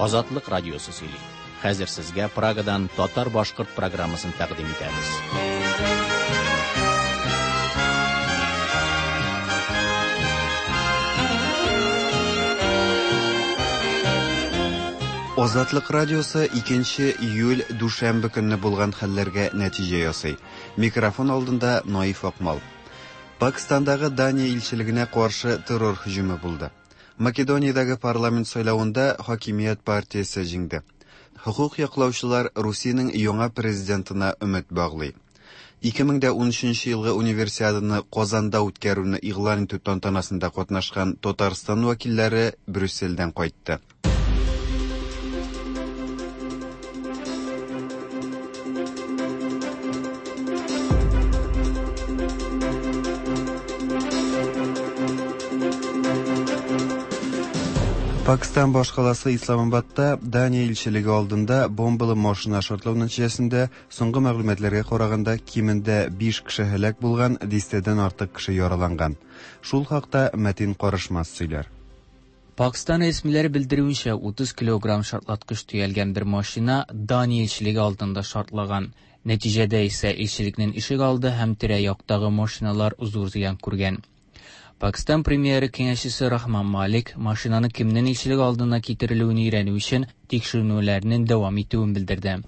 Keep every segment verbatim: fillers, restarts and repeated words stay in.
Азатлык радиосы сөйли. Хәзер сезгә Прагадан татар-башкорт программасын тәкъдим итәбез. Азатлык радиосы икенче июль дүшәмбе көнне булган хәлләргә нәтиҗә ясый. Микрофон алдында Наиф Акмал. Пакистандагы Дания илчелегенә каршы террор һөҗүме булды. Македониядәге парламент сайлавында хакимият партиясе җиңде. Хокук яклаучылар Русиянең яңа президентына өмет баглый. ике мең дә унөченче елгы универсиаданы Казанда үткәрүне игълан итү тантанасында катнашкан Татарстан вәкилләре Брюссельдән кайтты. Пакистан башкаласы Исламабадта Дания илчелеге алдында бомбалы машина шартлау нәтиҗәсендә соңгы мәгълүматларга караганда кимендә биш кеше һәлак булган, дистәдән артык кеше яраланган. Шул хакта Мәтин Карышмас сөйләр. Пакистан рәсмиләре белдерүенчә, утыз килограмм шартлаткыч төялгән бер машина Дания илчелеге алдында шартлаган. Нәтиҗәдә исә илчелекнең ишек алды һәм тирә-яктагы машиналар зур зыян күргән. Пакистан премьеры киңәшчесе Рахман Малик машинаны кемнең илчелек алдына китерелүен өйрәнү өчен тикшеренүләрнең дәвам итүен белдерде.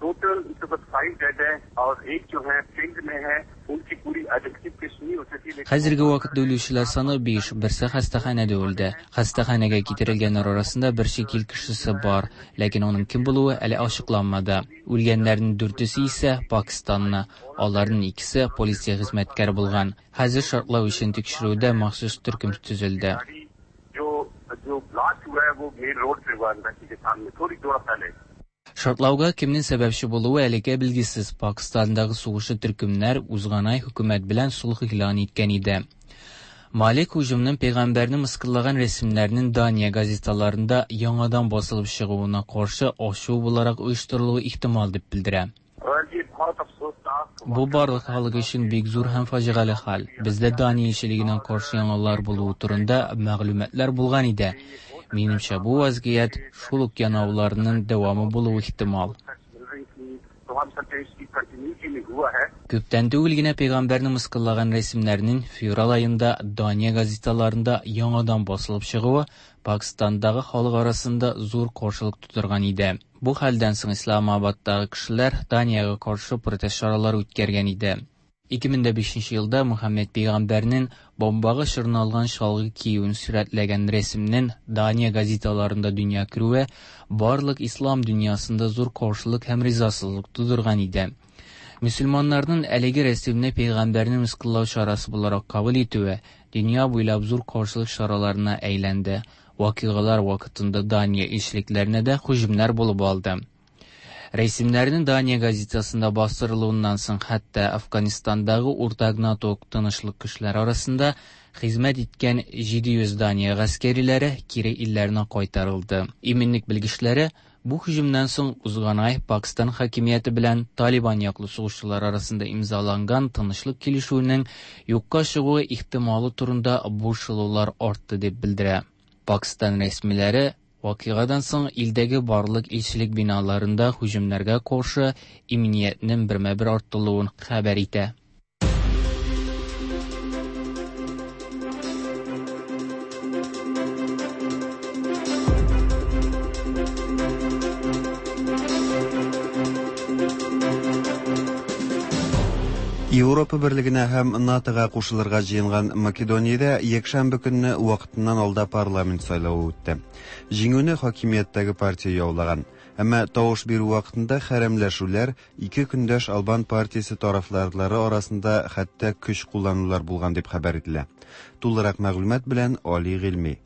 Хәзерге вакытта үлүчеләр саны биш, берсе хастаханәдә үлде. Хастаханәгә китерелгәннәр арасында бер чит ил кешесе бар, ләкин аның кем булуы әле ачыкланмады. Үлгәннәрнең дүртесе исә Пакистанны, аларның икесе полиция хезмәткәре булган. Хәзер шартлау өчен тикшерүдә махсус төркем төзелде. Шартлауга кемнең сәбәпче булуы әлегә билгесез. Пакистандагы сугышчы төркемнәр узган ай хөкүмәт белән сулх игълан иткән иде. Малик һөҗүмнең пәйгамбәрне мыскыллаган рәсемнәрнең Дания газеталарында яңадан басылып чыгуына каршы ачу буларак оештырылуы ихтимал дип белдерә. Бу барлык халык өчен бик зур һәм фаҗигале хәл. Бездә Дания илчелегенә каршы яңалар булуы турында мәгълүматлар булган иде. Минемчә, бу вазгыять шул ук янауларның дәвамы булуы ихтимал. Күптән түгел генә пәйгамбәрне мыскыллаган рәсемнәрнең февраль аенда Дания газеталарында яңадан басылып чыгуы Пакистандагы халык арасында зур каршылык тудырган иде. Бу хәлдән соң Исламабадтагы кешеләр Даниягә каршы протест чаралары үткәргән иде. ике мең дә бишенче елда Мөхәммәд пәйгамбәрнең бомбага чорналган чалгы киюен сурәтләгән рәсемнең Дания газеталарында дөнья күрүе барлык ислам дөньясында зур каршылык һәм ризасызлык тудырган иде. Мөселманнарның әлеге рәсемне пәйгамбәрне мыскыллау чарасы буларак кабул итүе дөнья буйлап зур каршылык чараларына әйләнде. Вакыйгалар вакытында Дания илчелекләренә дә һөҗүмнәр булып алды. Рәсемнәрнең Дания газетасында бастырылуыннан соң хәтта Афганистандагы уртак НАТО тынычлык көчләре арасында хезмәт иткән җиде йөз Дания гаскәриләре кире илләренә кайтарылды. Иминлек белгечләре бу һөҗүмнән соң узган ай Пакистан хакимияте белән Талибан яклы сугышчылар арасында имзаланган тынычлык килешүенең юкка чыгуы ихтималы турында борчылулар артты дип белдерә. Пакистан рәсмиләре вакыйгадан соң илдәге барлык илчелек биналарында һөҗүмнәргә каршы иминиятнең бермә-бер артылуын хәбәр итә. Европа берлегенә һәм НАТОга кушылырга җыенган Македониядә якшәмбе көнне вакытыннан алда парламент сайлавы үтте. Җиңүне хакимияттәге партия яулаган. Әмма тавыш бирү вакытында хәрәмләшүләр ике көндәш Албан партиясе тарафдарлары арасында хәтта көч кулланулар булган дип хәбәр ителә. Тулырак мәгълүмат белән Али Гыйльми.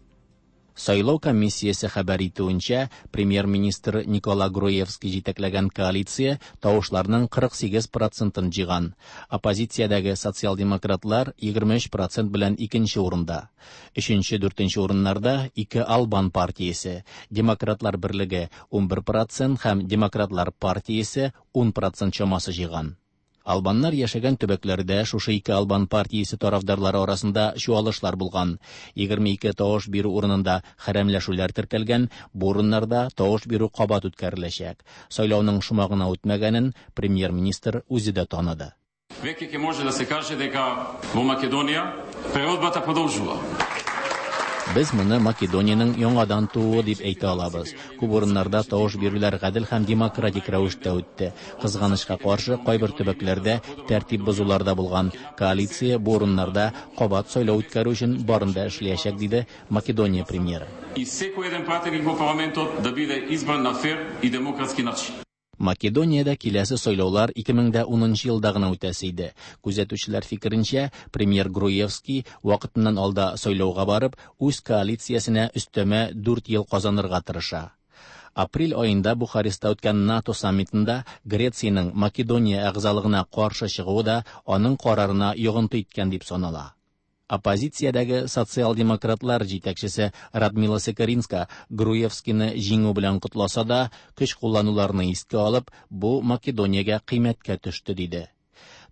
Сайлау комиссиясе хәбәр итүенчә, премьер-министр Никола Груевский җитәкләгән коалиция тавышларның кырык сигез процентын җыйган. Оппозициядәге социал-демократлар егерме өч процент белән икенче урында. Өченче, дүртенче урыннарда ике Албан партиясе, Демократлар берлеге ун бер процент һәм Демократлар партиясе ун процент чамасы җыйган. Албаннар яшәгән төбәкләрдә шушы ике албан партиясе тарафдарлары арасында чуалышлар булган. Егерме ике тавыш бирү урынында хәрәмләшүләр теркәлгән, бу урыннарда тавыш бирү кабат үткәреләчәк. Сайлауның шома гына үтмәгәнен премьер-министр үзе дә таныды. Веќе ќе може да се каже дека во Македонија преродбата продолжува. Без моны Македониянең яңадан тууы дип әйтә алабыз. Күп урыннарда тавыш бирүләр гадел һәм демократик рәвештә үтте. Кызганычка каршы, кайбер төбәкләрдә тәртип бозулар да булган. Коалиция бу урыннарда кабат сайлау үткәрү өчен барын да эшләячәк, диде Македония премьеры. И секој еден пратеник во парламентот да биде избран на фер и демократски начин. Македониядә киләсе сайлаулар ике мең дә унынчы елда гына үтәсе иде. Күзәтүчеләр фикеренчә, премьер Груевский вакытыннан алда сайлауга барып, үз коалициясенә өстәмә дүрт ел казанырга тырыша. Апрель аенда Бухареста үткән НАТО саммитында Грециянең Македония әгъзалыгына каршы чыгуы да аның карарына йогынты иткән дип санала. Оппозициядәге социал-демократлар җитәкчесе Радмила Секеринска Груевскийны җиңү белән котласа да, көч куллануларны искә алып, бу Македониягә кыйммәткә төште, диде.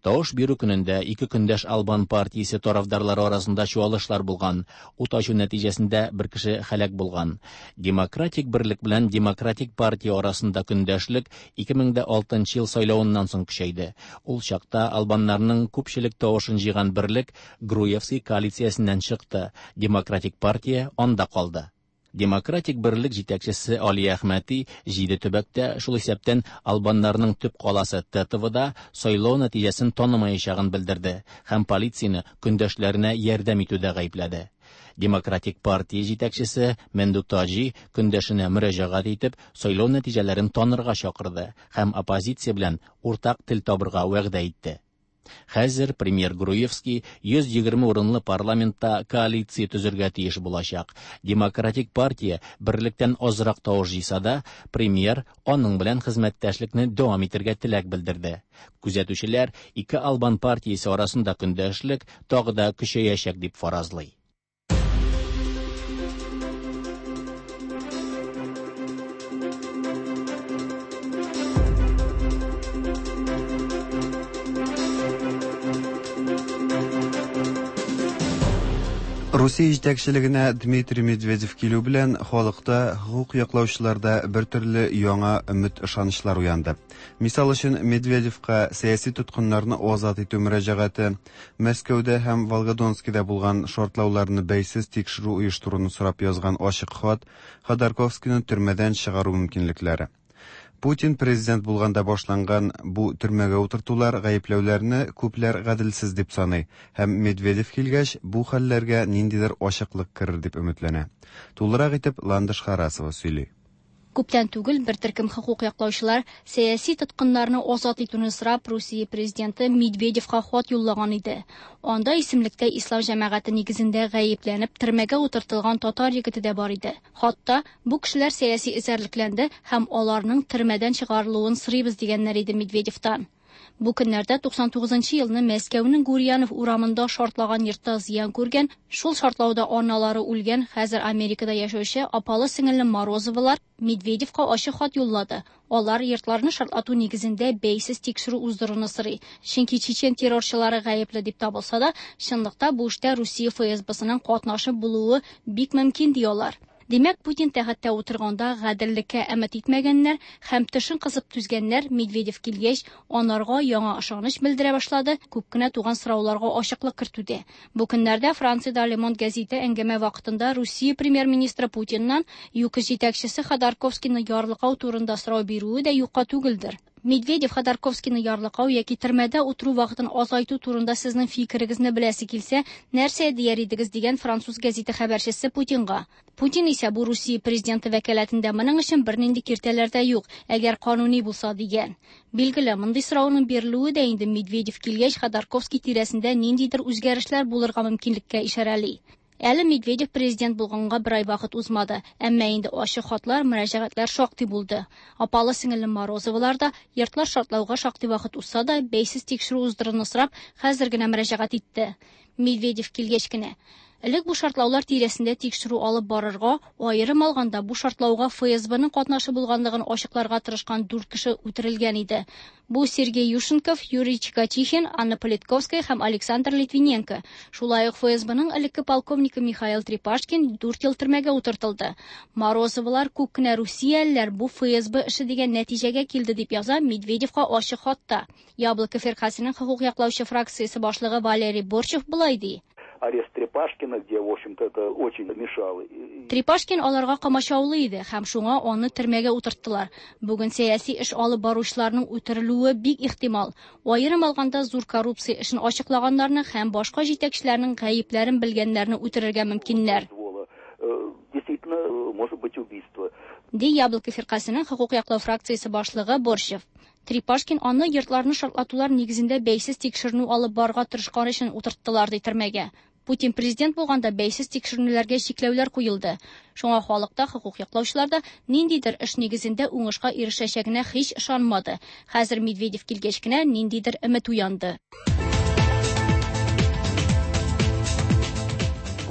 Тавыш бирү көнендә ике көндәш албан партиясе тарафдарлары арасында чуалышлар булган. Ут ачу нәтиҗәсендә бер кеше һәлак булган. Демократик берлек белән Демократик партия арасында көндәшлек ике мең дә алтынчы ел сайлавыннан соң көчәйде. Ул чакта албаннарның күпчелек тавышын җыйган берлек Груевский коалициясеннән чыкты. Демократик партия анда калды. Демократик берлек җитәкчесе Али Әхмәти җиде төбәктә, шул исәптән албаннарның төп каласы Тетовода сайлау нәтиҗәсен танымаячагын белдерде һәм полицияне көндәшләренә ярдәм итүдә гаепләде. Демократик партия җитәкчесе Менду Таҗи көндәшенә мөрәҗәгать итеп, сайлау нәтиҗәләрен танырга чакырды һәм оппозиция белән уртак тел табырга вәгъдә итте. Хәзер премьер Груевский йөз егерме урынлы парламентта коалиция төзергә тиеш булачак. Демократик партия берлектән азрак тавыш җыйса да, премьер аның белән хезмәттәшлекне дәвам итәргә теләк белдерде. Күзәтүчеләр ике албан партиясе арасында көндәшлек тагы да көчәячәк дип фаразлый. Русия җитәкчелегенә Дмитрий Медведев килү белән халыкта, хукук яклаучыларда бер төрле яңа өмет ышанычлар уянды. Мисал өчен, Медведевка сәяси тоткыннарны азат итү мөрәҗәгате, Мәскәүдә һәм Волгодонскида булган шартлауларны бәйсез тикшерү оештыруны сорап язган ачык хат, Ходорковскийны төрмәдән чыгару мөмкинлекләре. Путин президент булганда башланган бу төрмәгә утыртулар гаепләүләрне күпләр гаделсез дип саный һәм Медведев килгәч бу хәлләргә ниндидер ачыклык керер дип өметләнә. Тулырак итеп Ландыш Харасова сөйли. Күптән түгел бер төркем хукук яклаучылар сәяси тоткыннарны азат итүне сорап Русия президенты Медведевка хат юллаган иде. Анда исемлектә ислам җәмәгате нигезендә гаепләнеп төрмәгә утыртылган татар егете дә бар иде. Хатта бу кешеләр сәяси эзәрлекләнде һәм аларның төрмәдән чыгарылуын сорыйбыз дигәннәр иде Медведевтан. Бу көннәрдә туксан тугызынчы елны Мәскәүнең Гурьянов урамында шартлаган йортта зыян күргән, шул шартлауда аналары үлгән, хәзер Америкада яшәүче апалы сеңелле Морозовалар Медведевка ачык хат юллады. Алар йортларны шартлату нигезендә бәйсез тикшерү уздыруны сорый. Чөнки чечен террорчылары гаепле дип табылса да, чынлыкта бу эштә Русия эф эс бесының катнашы булуы бик мөмкин ди алар. Димәк, Путин тәхеттә утырганда гаделлеккә өмет итмәгәннәр һәм тешен кысып түзгәннәр Медведев килгәч, анарга яңа ышаныч белдерә башлады, күп кенә туган сорауларга ачыклык кертүдә. Бу көннәрдә Франциядә Le Monde гәзите әңгәмә вакытында Русия премьер-министры Путиннан ЮКОС җитәкчесе Ходорковскийны ярлыкау турында сорау бирүе дә юкка түгелдер. Медведев Ходорковскийны ярлыкау яки төрмәдә утыру вакытын азайту турында сезнең фикерегезне беләсе килсә, нәрсә дияр идегез дигән француз гәзите хәбәрчесе Путинга. Путин исә бу Русия президенты вәкаләтендә моның өчен бернинди киртәләр дә юк, әгәр кануни булса дигән. Билгеле, мондый сорауның бирелүе дә инде Медведев килгәч Ходорковский тирәсендә ниндидер үзгәрешләр булырга мөмкинлеккә ишарәли. Әле Медведев президент булганга бер ай вакыт узмады, әмма инде ачык хатлар, мөрәҗәгатьләр шактый булды. Апалы сеңелле Морозовалар да йортлар шартлауга шактый вакыт узса да, бәйсез тикшерү уздыруны сорап, хәзер генә мөрәҗәгать итте. Медведев килгәч кенә. Элек бу шартлаулар тирәсендә тикшерү алып барырга, аерым алганда бу шартлауга ФСБның катнашы булганлыгын ачыкларга тырышкан дүрт кеше үтерелгән иде. Бу Сергей Юшенков, Юрий Чикатихин, Анна Политковская һәм Александр Литвиненко. Шулай ук ФСБның элекке полковнигы Михаил Трепашкин дүрт ел төрмәгә утыртылды. Морозовалар күп кенә русиялеләр бу ФСБ эше дигән нәтиҗәгә килде дип яза Медведевка ачык хатта. Яблоко фиркасының хокук яклаучы фракциясе башлыгы Валерий Борчев болай ди. Арест Трепашкина, где, в общем-то, это очень мешало. Трепашкин аларга комачаулы иде һәм шуңа аны төрмәгә утырттылар. Бүген сәяси эш алып баручыларның үтерелүе бик ихтимал. Аерым алганда зур коррупция эшен ачыклаганнарны һәм башка җитәкчеләрнең гаепләрен белгәннәрне үтерергә мөмкиннәр. Действительно, может быть убийство. Ди Яблоко фиркасының хокук яклау фракциясе башлыгы Борщев. Трепашкин аны йортларны шартлатулар нигезендә бәйсез тикшеренү алып барырга тырышкан өчен утырттылар ди төрмәгә. Путин президент булганда бәйсез тикшеренүләргә чикләүләр куелды. Шуңа халыкта, хокук яклаучылар да ниндидер эш нигезендә уңышка ирешәчәгенә һич ышанмады. Хәзер Медведев килгәч кенә ниндидер өмет уянды.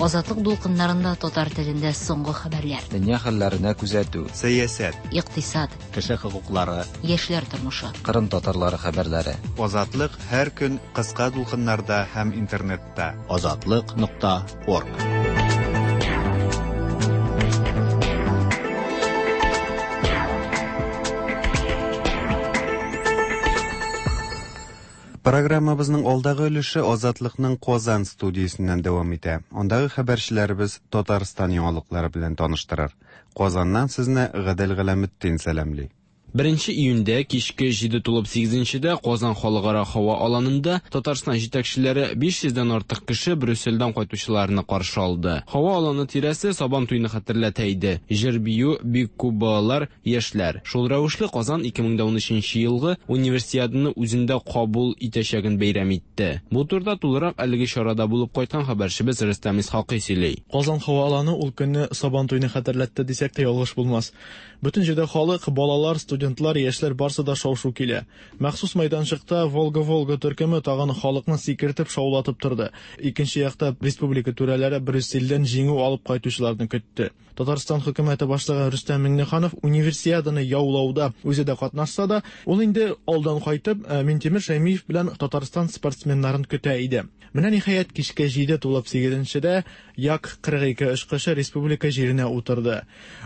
Азатлык дулкыннарында татар телендә соңгы хәбәрләр. Дөнья хәлләренә күзәтү. Сәясәт. Икътисад. Кеше хокуклары. Яшьләр тормышы. Кырым татарлары хәбәрләре. Азатлык һәр көн кыска дулкыннарда һәм интернетта. Азатлык нокта орг. Программабызның алдагы өлеше Азатлыкның Казан студиясеннән дәвам итә. Андагы хәбәрчеләребез Татарстан яңалыклары белән таныштырыр. Казаннан сезне Гадел Галәметдин сәламли. Беренче июньдә кичке җиде тулып сигезенчедә Казан халыкара һава аланында Татарстан җитәкчеләре биш йөздән артык кеше Брюссельдән кайтучыларны каршы алды. Һава аланы тирәсе Сабан туйны хәтерләтә иде. Җыр бию, бик күп балалар, яшьләр. Шул рәвешле Казан ике мең ун өченче елгы универсиаданы үзендә кабул итәчәген бәйрәм итте. Бу турыда тулырак әлеге чарада булып кайткан хәбәрчебез Рөстәм Исхакый сөйли. Казан һава аланы ул көнне Сабан туйны хәтерләтте дисәк тә ялгыш булмас. Бөтен җирдә халык, балалар, студентлар, яшьләр барсы да шау-шу килә. Махсус мәйданчыкта Волга-Волга төркеме тагын халыкны сикертеп шаулатып торды. Икенче якта республика түрәләре Брюссельдән җиңү алып кайтучыларны көтте. Татарстан хөкүмәте башлыгы Рөстәм Миңнеханов универсиаданы яулауда үзе дә катнашса да, ул инде алдан кайтып Минтимер Шәймиев белән Татарстан спортсменнарын көтә иде. Менә ниһаять кичке җиде тулып сигезенчедә Як кырык ике очкычы республика җиренә утырды.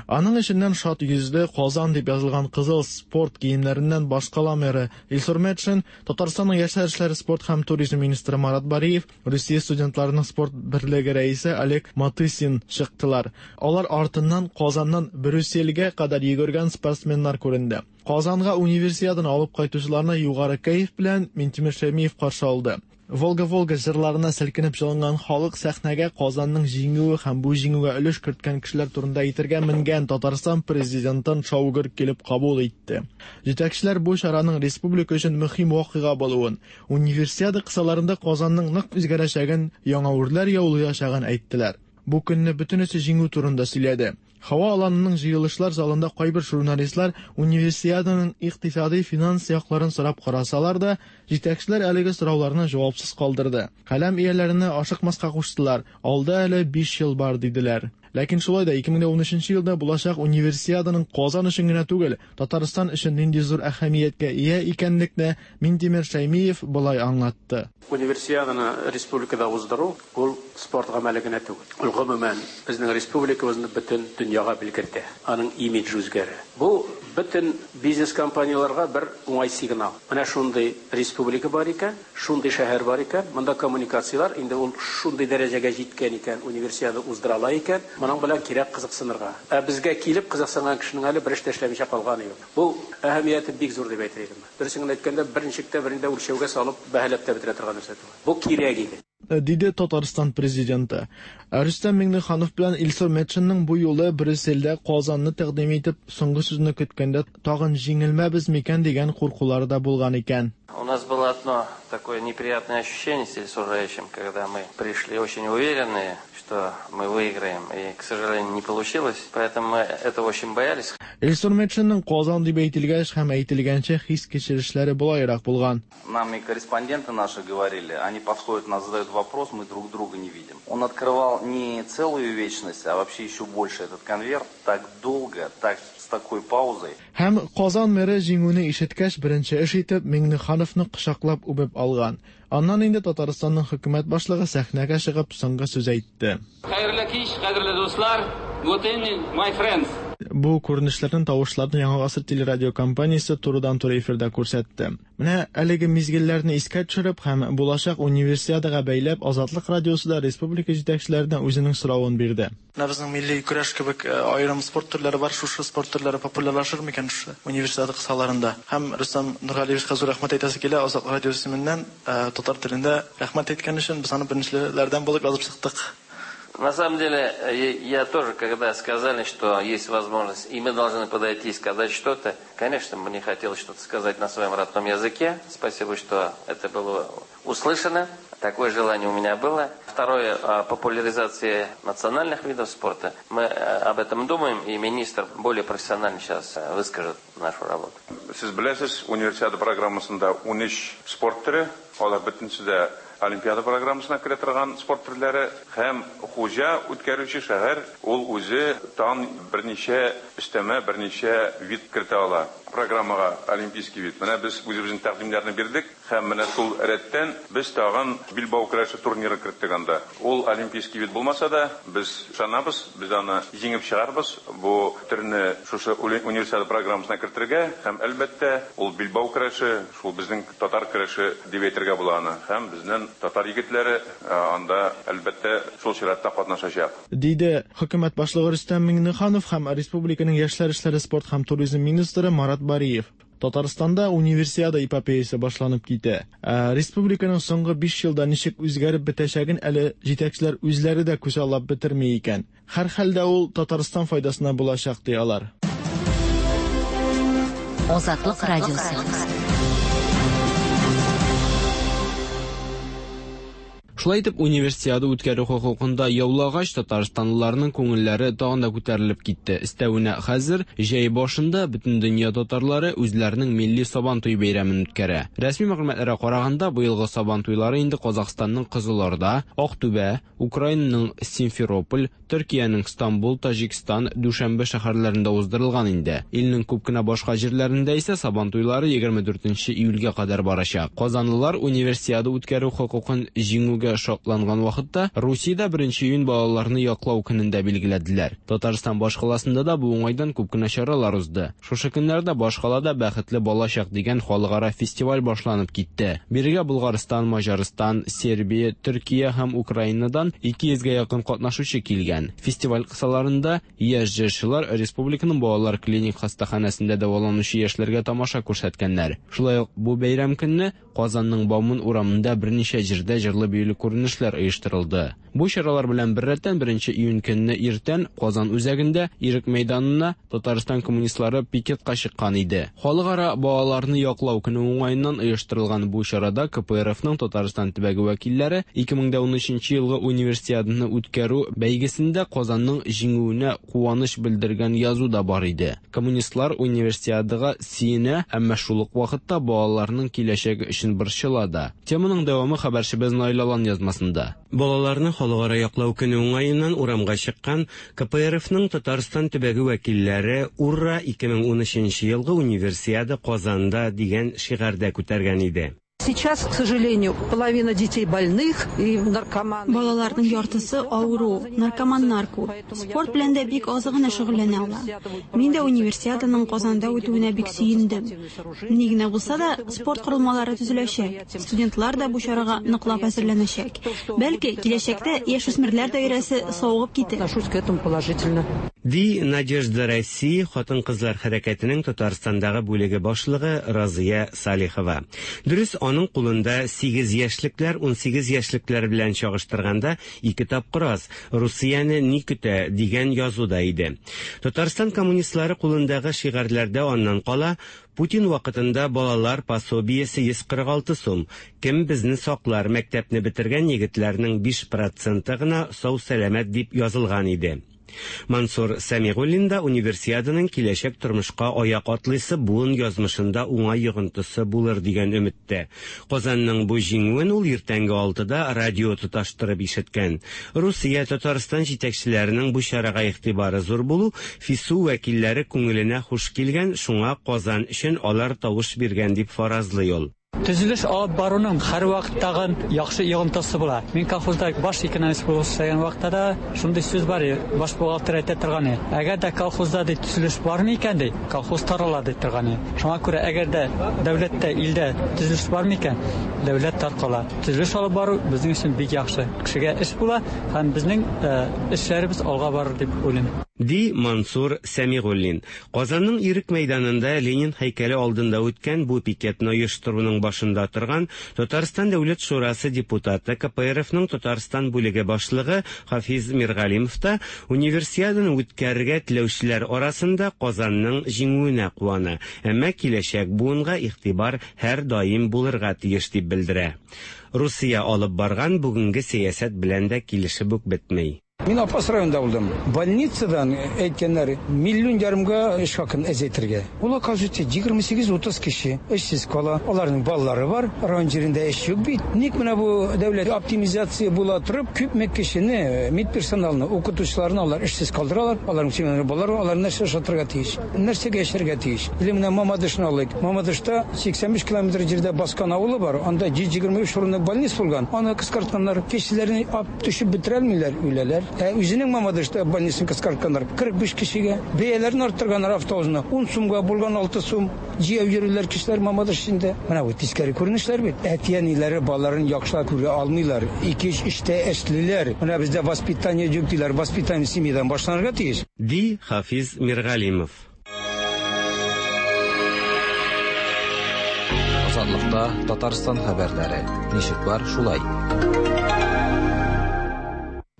Аның эченнән шат йөзле Казан дип язылган кызыл спорт киемнәреннән башкала мэры Илсур Метшин, Татарстанның яшьләр эшләре, спорт һәм туризм министры Марат Бариев, Русия студентларының спорт берлеге рәисе Олег Матысин чыктылар. Алар артыннан Казаннан Брюссельгә кадәр йөгергән спортсменнар күренде. Казанга универсиаданы алып кайтучыларны югары кәеф белән Минтимер Шәймиев каршы алды. Волга-Волга җырларына селкенеп җылынган халык сәхнәгә Казанның җиңүе һәм бу җиңүгә өлеш керткән кешеләр турында әйтергә менгән Татарстан президентын шаугыр килеп кабул итте. Җитәкчеләр бу чараның республика өчен мөһим вакыйга булуын, универсиада кысаларында Казанның нык үзгәрәчәген, яңа үрләр яулаячагын әйттеләр. Бу көнне бөтенесе җиңү турында сөйләде. Һава аланының җыелышлар залында кайбер журналистлар универсиаданың икътисади финанс якларын сорап карасалар да, җитәкчеләр әлеге сорауларны җавапсыз калдырды. Каләм ияләренә ашыкмаска куштылар. Алда әле биш ел бар диделәр. Ләкин шулай да ике мең ун өченче елда булачак универсиаданың Казан өчен генә түгел, Татарстан өчен нинди зур әһәмияткә ия икәнлекне Минтимер Шәймиев болай аңлатты. Универсиаданы республикада уздыру ул спорт гамәле генә түгел. Ул гомумән безнең республикабызны бөтен дөньяга белгертә. Аның имиджы үзгәрә. Бу бөтен бизнес компанияләргә бер уңай сигнал. Менә шундый республика бар икән, шундый шәһәр бар икән, монда коммуникацияләр инде ул шундый дәрәҗәгә җиткән икән, универсиада уздыра ала икән, моның белән кирәк кызыксынырга. Ә безгә килеп кызыксынган кешенең әле бер эш тә эшләмичә калганы юк. Бу әһәмияте бик зур дип әйтер идем. Дөресен генә әйткәндә, берничек тә берендә үлчәүгә салып бәһаләп тә бетерә торган нәрсә түгел. Бу кирәк иде. Диде Татарстан президенты. Рөстәм Миңнеханов белән Илсур Метшинның бу юлы Брюссельдә Казанны тәкъдим итеп, соңгы сүзне көткәндә тагын җиңелмәбез микән дигән куркулары да булган икән. У нас было одно такое неприятное ощущение с Ильсуром Раичем, когда мы пришли очень уверенные, что мы выиграем, и, к сожалению, не получилось, поэтому мы этого очень боялись. Илсур Метшинның Казан дип әйтелгәч һәм әйтелгәнче хис кичерешләре болайрак булган. Нам и корреспонденты наши говорили, они подходят, нас задают вопрос, мы друг друга не видим. Он открывал не целую вечность, а вообще еще больше этот конверт. Так долго, так с такой паузой. Һәм Казан мэры җиңүне ишеткәч, беренче эш итеп Миңнехановны кочаклап үбеп алган. Аннан инде Татарстанның хөкүмәт башлыгы сәхнәгә чыгып соңгы сүз әйтте. Хәерле кич, кадерле дуслар, good evening, my friends. Бу күренешләрне, тавышларны Яңа Гасыр телерадиокомпаниясе турыдан-туры эфирда күрсәтте. Менә әлеге мизгелләрне искә төшереп һәм булачак универсиадага бәйләп Азатлык радиосы да республика җитәкчеләренә үзенең соравын бирде. Менә безнең милли көрәш кебек аерым спорт төрләре бар, шушы спорт төрләре популярлашыр микән шушы универсиада кысаларында? Һәм Рөстәм Нургалиевичка зур рәхмәт әйтәсе килә, Азатлык радиосы исеменнән татар телендә рәхмәт әйткән өчен без аны беренчеләрдән булып язып чыктык. На самом деле, я тоже, когда сказали, что есть возможность, и мы должны подойти и сказать что-то, конечно, мне хотелось что-то сказать на своем родном языке. Спасибо, что это было услышано. Такое желание у меня было. Второе, популяризация национальных видов спорта. Мы об этом думаем, и министр более профессионально сейчас выскажет нашу работу. Сез беләсез, универсиада программасында ун өч спорт төре, алар бөтенесе дә Олимпиада программасына керә торган спорт төрләре, һәм хуҗа үткәрүче шәһәр ул үзе тагын берничә өстәмә, берничә вид кертә ала программага, олимпийский вид. Менә без үзебезнең тәкъдимнәрне бирдек, һәм менә шул рәттән без тагын билбау көрәше турниры керттек анда. Ул олимпийский вид булмаса да, без ышанабыз, без аны җиңеп чыгарбыз. Бу төрне шушы универсиада программасына кертергә һәм әлбәттә ул билбау көрәше, шул безнең татар көрәше дип әйтергә була аны. Һәм безнең татар егетләре анда әлбәттә шул чиратта катнашачак. Диде хөкүмәт башлыгы Рөстәм Миңнеханов һәм республиканың яшьләр эшләре, спорт һәм туризм министры Марат Бариев. Татарстанда универсиада эпопеясы башланып китә. Республиканың соңгы биш елда ничек үзгәреп бетәчәген әле җитәкчеләр үзләре дә күзаллап бетерми икән. Һәр хәлдә ул Татарстан файдасына булачак ди алар. Азатлык радиосы. Шулай итеп, универсиада үткәрү хокукында яулагач, татарстанлыларның күңелләре тагын да күтәрелеп китте. Өстәвенә хәзер җәй башында бөтен дөнья татарлары үзләренең милли Сабантуй бәйрәмен үткәрә. Рәсми мәгълүматларга караганда, быелгы Сабантуйлары инде Казахстанның Кызылорда, Актүбә, Украинаның Симферополь, Төркиянең Стамбул, Таҗикстан, Дүшәнбе шәһәрләрендә уздырылган инде. Илнең күп кенә башка җирләрендә исә Сабантуйлары егерме дүртенче июльгә кадәр барачак. Казанлылар универсиада үткәрү хокукын җиңүгә шатланган вакытта Русиядә беренче июнь балаларны яклау көнендә билгеләделәр. Татарстан башкаласында да бу уңайдан күп кенә чаралар узды. Шушы көннәрдә башкалада Бәхетле балачак дигән халыкара фестиваль башланып китте. Бирегә Булгарстан, Маҗарстан, Сербия, Төркия һәм Украинадан ике йөзгә якын катнашучы килгән. Фестиваль кысаларында яшь җырчылар республиканың балалар клиник хастаханәсендә дәваланучы яшьләргә тамаша күрсәткәннәр. Шулай ук бу бәйрәм көнне Казанның Бауман урамында берничә җирдә җырлы-биюле күренешләр оештырылды. Бу чаралар белән беррәттән беренче июнь көнне иртән Казан үзәгендә Ирек мәйданына Татарстан коммунистлары пикетка чыккан иде. Халыкара балаларны яклау көне уңаеннан оештырылган бу чарада К П Р Фның Татарстан төбәге вәкилләре ике мең унөченче елгы универсиаданы үткәрү бәйгесендә Казанның җиңүенә куаныч белдергән язу да бар иде. Коммунистлар универсиадага сөенә, әмма шул ук вакытта балаларның киләчәге өчен борчыла да. Теманың дәвамы хәбәрчебез Наил Алан язмасында. Балаларны халыкара яклау көне уңаеннан урамга чыккан К П Р Фның Татарстан төбәге вәкилләре «Ура! ике мең унөченче елгы универсиада Казанда» дигән шигарьдә күтәргән иде. Сейчас, к сожалению, половина детей больных и наркоман. Балаларның яртысы авыру, наркоманнар күп. Спорт белән дә бик аз гына шөгыльләнә алар. Мин дә универсиаданың Казанда үтүенә бик сөендем. Ни генә булса да, спорт корылмалары төзеләчәк. Студентлар да бу чарага ныклап әзерләнәчәк. Бәлки, киләчәктә яшүсмерләр даирәсе савыгып китер. Отношусь к этому положительно. Ди Надежда России хатын-кызлар хәрәкәтенең Татарстандагы бүлеге башлыгы Разия Салихова. Дөрес, аның кулында сигез яшьлекләр унсигез яшьлекләр белән чагыштырганда ике тапкыр аз. Русияне ни көтә дигән язу да иде. Татарстан коммунистлары кулындагы шигарьләрдә аннан кала Путин вакытында балалар пособиесе йөз кырык алты сум. Кем безне саклар, мәктәпне бетергән егетләрнең биш проценты гына сау-сәламәт дип язылган иде. Мансур Сәмигуллин да Универсиаданың киләчәк тормышка аяк атлыйсы буын язмышында уңай йогынтысы булыр дигән өметтә. Казанның бу җиңүен ул иртәнге алтыда радио тоташтырып ишеткән. Русия, Татарстан җитәкчеләренең бу чарага игътибары зур булу ФИСУ вәкилләре күңеленә хуш килгән, шуңа Казан өчен алар тавыш биргән дип фаразлый ул. Төзелеш алып баруның һәрвакыттагы яхшы йогынтысы була. Мин колхозда баш экономист булып эшләгән вакытта да шундый сүз бар, баш бухгалтер әйтә торган. Әгәр дә колхозда ди төзелеш бармы икән ди, колхоз тарала ди торган. Шуңа күрә әгәр дә дәүләттә, илдә төзелеш бармы икән, дәүләт таркала. Төзелеш алып бару безнең өчен бик яхшы. Кешегә эш була һәм безнең эшләребез алга барыр дип уйлыйм. Ди Мансур Сәмигуллин. Казанның Ирек мәйданында Ленин һәйкәле алдында үткән бу пикетны оештыруның башында торган Татарстан Дәүләт Шурасы депутаты, К П Р Фның Татарстан бүлеге башлыгы Хафиз Миргалимов та Универсиаданы үткәрергә теләүчеләр арасында Казанның җиңүенә куана. Әмма киләчәк буынга игътибар һәр даим булырга тиеш дип белдерә. Русия алып барган бүгенге сәясәт белән дә килешеп үк бетми. Мин Апас районында булдым. Больницадан әйткәннәр, миллион ярымга эш хакын әзәйтергә. Ул, оказывается, егерме сигез-утыз кеше эшсез кала. Аларның балалары бар, район җирендә эш юк бит. Ник менә бу дәүләт оптимизация була торып, күпме кешене, медперсоналны, укытучыларны алар эшсез калдыралар. Аларның семьялары, балалары, алар нәрсә ашатырга тиеш? Нәрсәгә яшәргә тиеш? Или менә Мамадышны алыйк. Мамадышта сиксән биш километр җирдә Баскан авылы бар. Анда йөз егерме өч урынлык больница булган. Аны кыскартканнар, кешеләрне ап төшеп бетерә алмыйлар, үләләр. Ә үзенең Мамадышта больницаны кыскартканнар кырык биш кешегә. Бәяләрен арттырганнар автобусны. ун сумга булган алты сум. Җәяү йөриләр кешеләр Мамадыш эчендә. Менә бу тискәре күренешләр бит. Әти-әниләре балаларын яхшылап күрә алмыйлар. Ике-өч эштә эшлиләр. Менә бездә воспитание юк диләр. Воспитание семьядан башланырга тиеш. Ди Хафиз Миргалимов. Азатлыкта Татарстан хәбәрләре. Ничек бар, шулай.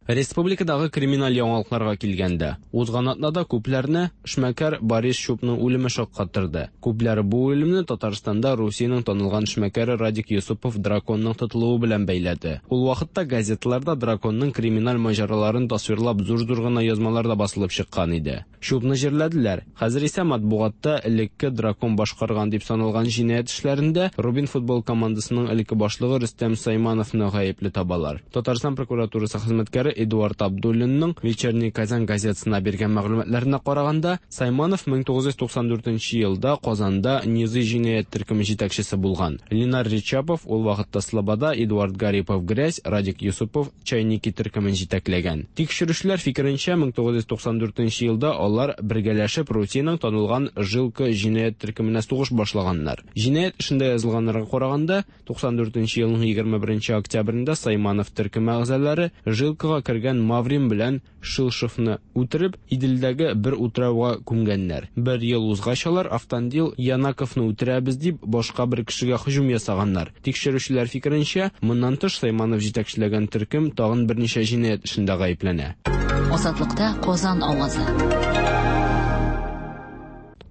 Республикадагы криминаль яңалыкларга килгәндә, узган атнада күпләрне эшмәкәр Борис Чупның үлеме шаккаттырды. Күпләр бу үлемне Татарстанда Русиянең танылган эшмәкәре Радик Юсупов Драконның тотылуы белән бәйләде. Ул вакытта газеталарда Драконның криминаль маҗараларын тасвирлап зур-зур гына язмалар да басылып чыккан иде. Чупны җирләделәр. Хәзер исә матбугатта элекке Дракон башкарган дип саналган җинаять эшләрендә Рубин футбол командасының элекке башлыгы Рөстәм Саймановны гаепле табалар. Татарстан прокуратурасы хезмәткәре Эдуард Абдуллинның Вечерний Казан газетасына биргән мәгълүматларына караганда, Сайманов мең тугыз йөз туксан дүртенче елда Казанда Низы җинаять төркеме җитәкчесе булган. Ленар Ричапов ул вакытта Слобода, Эдуард Гарипов Грязь, Радик Юсупов Чайники төркемен җитәкләгән. Тикшерүчеләр фикеренчә, мең тугыз йөз туксан дүртенче елда алар бергәләшеп Русиянең танылган Жилка җинаять төркеменә сугыш башлаганнар. Җинаять эшендә язылганнарга караганда, туксан дүртенче елның егерме беренче октябрендә Сайманов төркеме әгъзалары Жилкага кергән Маврин белән Шилшевны үтереп, Иделдәге бер утрауга күмгәннәр. Бер ел узгач алар Автандил Янаковны үтерәбез дип башка бер кешегә һөҗүм ясаганнар. Тикшерүчеләр фикеренчә, моннан тыш Сайманов җитәкчеләгән төркем тагын берничә җинаять эшендә гаепләнә. Азатлыкта Казан авазы.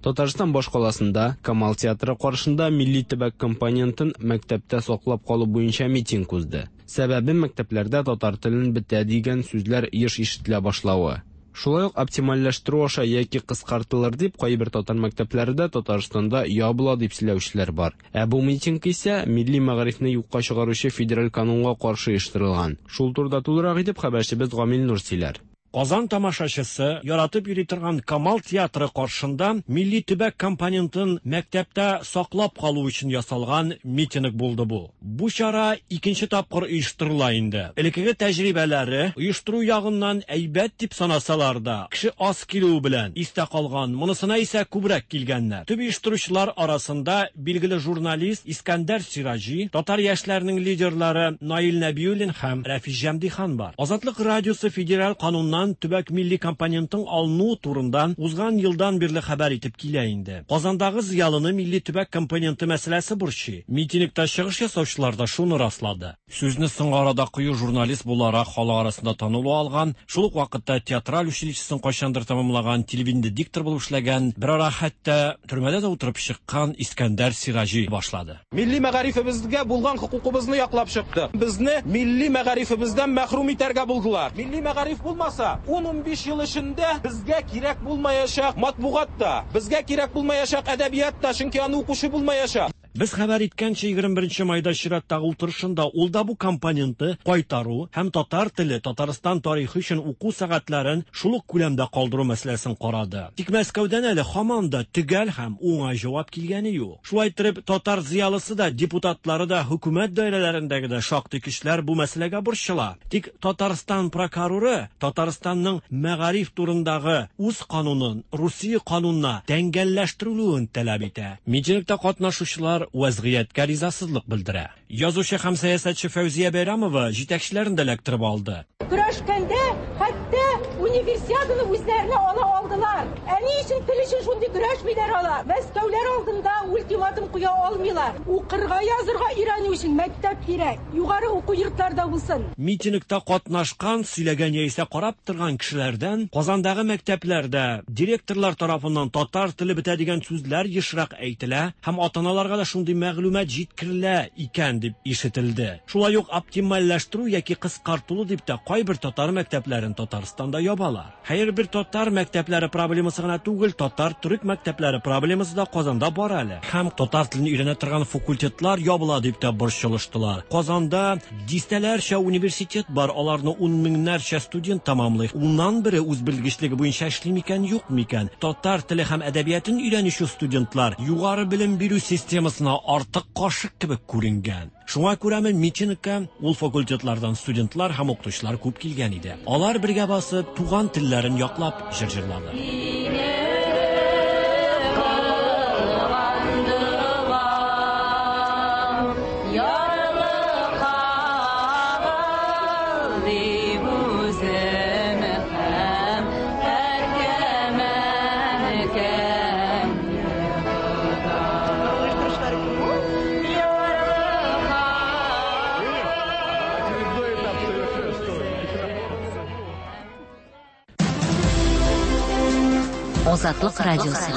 Татарстан башкаласында Камал театры каршында милли төбәк компонентын мәктәптә саклап калу буенча митинг узды. Сәбәбе мәктәпләрдә татар телен бетә дигән сүзләр еш ишетелә башлавы. Шулай ук оптимальләштерү аша яки кыскартылыр дип кайбер татар мәктәпләре дә Татарстанда ябыла дип сөйләүчеләр бар. Ә бу митинг исә милли мәгарифне юкка чыгаручы федераль канунга каршы оештырылган. Шул турыда тулырак итеп хәбәрчебез Гамил Нур сөйләр. Казан тамашачысы яратып йөри торган Камал театры каршында милли төбәк компонентын мәктәптә саклап калу өчен ясалган митинг булды бу. Бу чара икенче тапкыр оештырыла инде. Элеккеге тәҗрибәләре оештыру ягыннан әйбәт дип санасалар да, кеше аз килүе белән истә калган, монысына исә күбрәк килгәннәр. Төп оештыручылар арасында билгеле журналист Искәндәр Сираҗи, татар яшьләренең лидерлары Наил Нәбиуллин һәм Рәфис Җәмдихан бар. Азатлык радиосы федераль кануннан төбәк милли компонентын алыну турында узган елдан бирле хәбәр итеп килә инде. Казандагы зыялыны милли төбәк компоненты мәсьәләсе борчый. Митингта чыгыш ясаучылар да шуны раслады. Сүзне соңгы арада кыю журналист буларак халык арасында танылу алган, шул ук вакытта театраль училищесын кайчандыр тәмамлаган, телевидениедә диктор булып эшләгән, бер ара хәтта төрмәдә дә утырып чыккан Искәндәр Сираҗи башлады. Милли мәгарифебезгә булган хокукыбызны яклап чыктык. Безне милли мәгарифебездән мәхрүм итәргә булдылар. Милли мәгариф булмаса, булса, ун-унбиш ел эчендә безгә кирәк булмаячак матбугат та, безгә кирәк булмаячак әдәбият та, чөнки аны укучы булмаячак. Без хәбәр иткәнчә, егерме беренче майда чираттагы утырышында ул да бу компоненты кайтару һәм татар теле, Татарстан тарихы өчен уку сәгатьләрен шул ук күләмдә калдыру мәсьәләсен карады. Тик Мәскәүдән әле һаман да төгәл һәм уңай җавап килгәне юк. Шулай итеп, татар зыялысы да, депутатлары да, хөкүмәт даирәләрендәге дә шактый кешеләр бу мәсьәләгә борчыла. Тик Татарстан прокуроры Татарстанның мәгариф турындагы үз канунын Русия канунына тәңгәлләштерүен таләп итә. Митингта катнашучылар вазгыятькә ризасызлык белдерә. Язучы һәм сәясәтче Фәүзия Бәйрәмова җитәкчеләрен дә эләктереп алды. Көрәшкәндә хәтта универсиаданы үзләренә ала алдылар. Ә ни өчен тел өчен шундый көрәшмиләр алар? Мәскәүләр алдында ультиматум куя алмыйлар. Укырга, язырга өйрәнү өчен мәктәп кирәк. Югары уку йортларда булсын. Митингта катнашкан, сөйләгән яисә карап торган кешеләрдән Казандагы мәктәпләрдә директорлар тарафыннан татар теле бетә дигән сүзләр ешрак әйтелә һәм ата-аналарга да шундый мәгълүмат җиткерелә икән дип ишетелде. Шулай ук оптимальләштерү яки кыскартылу дип тә кайбер татар мәктәпләрен Татарстанда ябалар. Хәер, бер татар мәктәпләре проблемасы гына түгел, татар-төрек мәктәпләре проблемасы да Казанда бар әле. Һәм татар телен өйрәнә торган факультетлар ябыла дип тә борчылыштылар. Казанда дистәләрчә университет бар, аларны ун меңнәрчә студент тәмамлый. Уннан бере үз белгечлеге буенча эшли микән, юк микән? Татар теле һәм әдәбиятын өйрәнүче студентлар югары белем бирү системасына артык кашык кебек күренгән. Шуңа күрәме митингка ул факультетлардан студентлар һәм укытучылар күп килгән иде. Алар бергә басып, туган телләрен яклап җыр җырлады. Азатлык радиосы.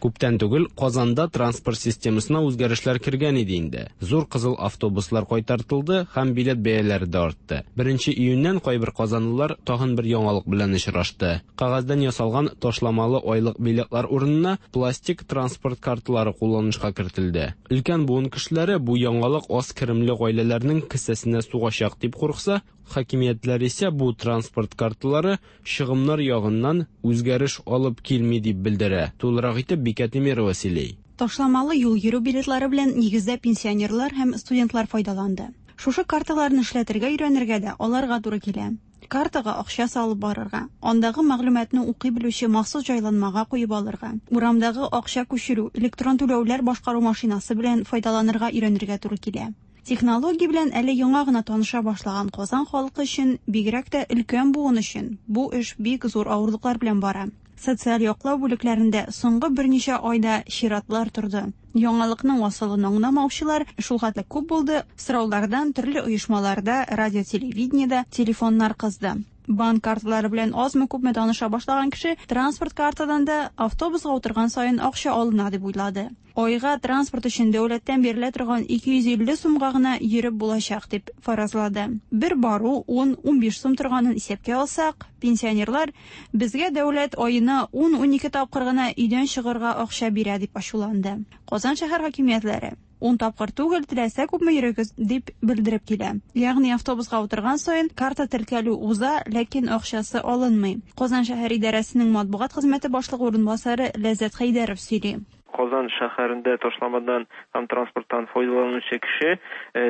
Күптән түгел Казанда транспорт системасына үзгәрешләр кергән иде инде. Зур кызыл автобуслар кайтартылды һәм билет бәяләре дә артты. Беренче июньнән кайбер казанлылар тагын бер яңалык белән очрашты. Кагаздан ясалган ташламалы айлык билетлар урынына пластик транспорт карталары кулланышка кертелде. Өлкән буын кешеләре бу яңалык аз керемле гаиләләрнең кесәсенә сугачак дип курыкса, хакимиятләр исә бу транспорт карталары чыгымнар ягыннан үзгәреш алып килми дип белдерә. Тулырак итеп Бикә Тимирова сөйли. Ташламалы юл йөрү билетлары белән нигездә пенсионерлар һәм студентлар файдаланды. Шушы карталарны эшләтергә өйрәнергә дә аларга туры килә. Картага акча салып барырга, андагы мәгълүматны укый белүче махсус җайланмага куеп алырга, урамдагы акча күчерү, электрон түләүләр башкару машинасы белән файдаланырга өйрәнергә туры килә. Технология белән әле яңа гына таныша башлаган Казан халкы өчен, бигрәк тә өлкән буын өчен, бу эш бик зур авырлыклар белән бара. Социаль яклау бүлекләрендә соңгы берничә айда чиратлар торды. Яңалыкның асылын аңламаучылар шул хәтле күп булды, сораулардан төрле оешмаларда, радио, телевидениедә телефоннар кызды. Банк карталары белән азмы-күпме таныша башлаган кеше транспорт картадан да автобусга утырган саен акча алына дип уйлады. Айга транспорт өчен дәүләттән бирелә торган ике йөз илле сумга гына йөреп булачак дип фаразлады. Бер бару ун-унбиш сум торганын исәпкә алсак, пенсионерлар безгә дәүләт аена ун-унике тапкыр гына өйдән чыгарга акча бирә дип ачуланды. Казан шәһәр хакимиятләре ун тапкыр түгел, теләсә күпме йөрегез дип белдереп килә. Ягъни автобусга утырган саен карта теркәлү уза, ләкин акчасы алынмый. Казан шәһәр идарәсенең матбугат хезмәте башлыгы урынбасары Ләззәт Хәйдәров сөйли. Казан шәһәрендә ташламадан һәм транспорттан файдаланучы кеше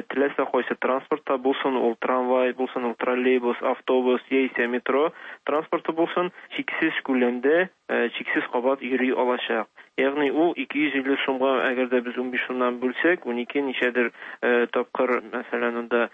теләсә кайсы транспортта булсын, ул трамвай булсын, ул троллейбус, автобус яисә метро транспорты булсын, чиксез күләмдә, чиксез кабат йөри алачак. Ягъни ул ике йөз илле сумга, әгәр дә без унбиш сумнан бүлсәк, унике ничәдер тапкыр, мәсәлән, анда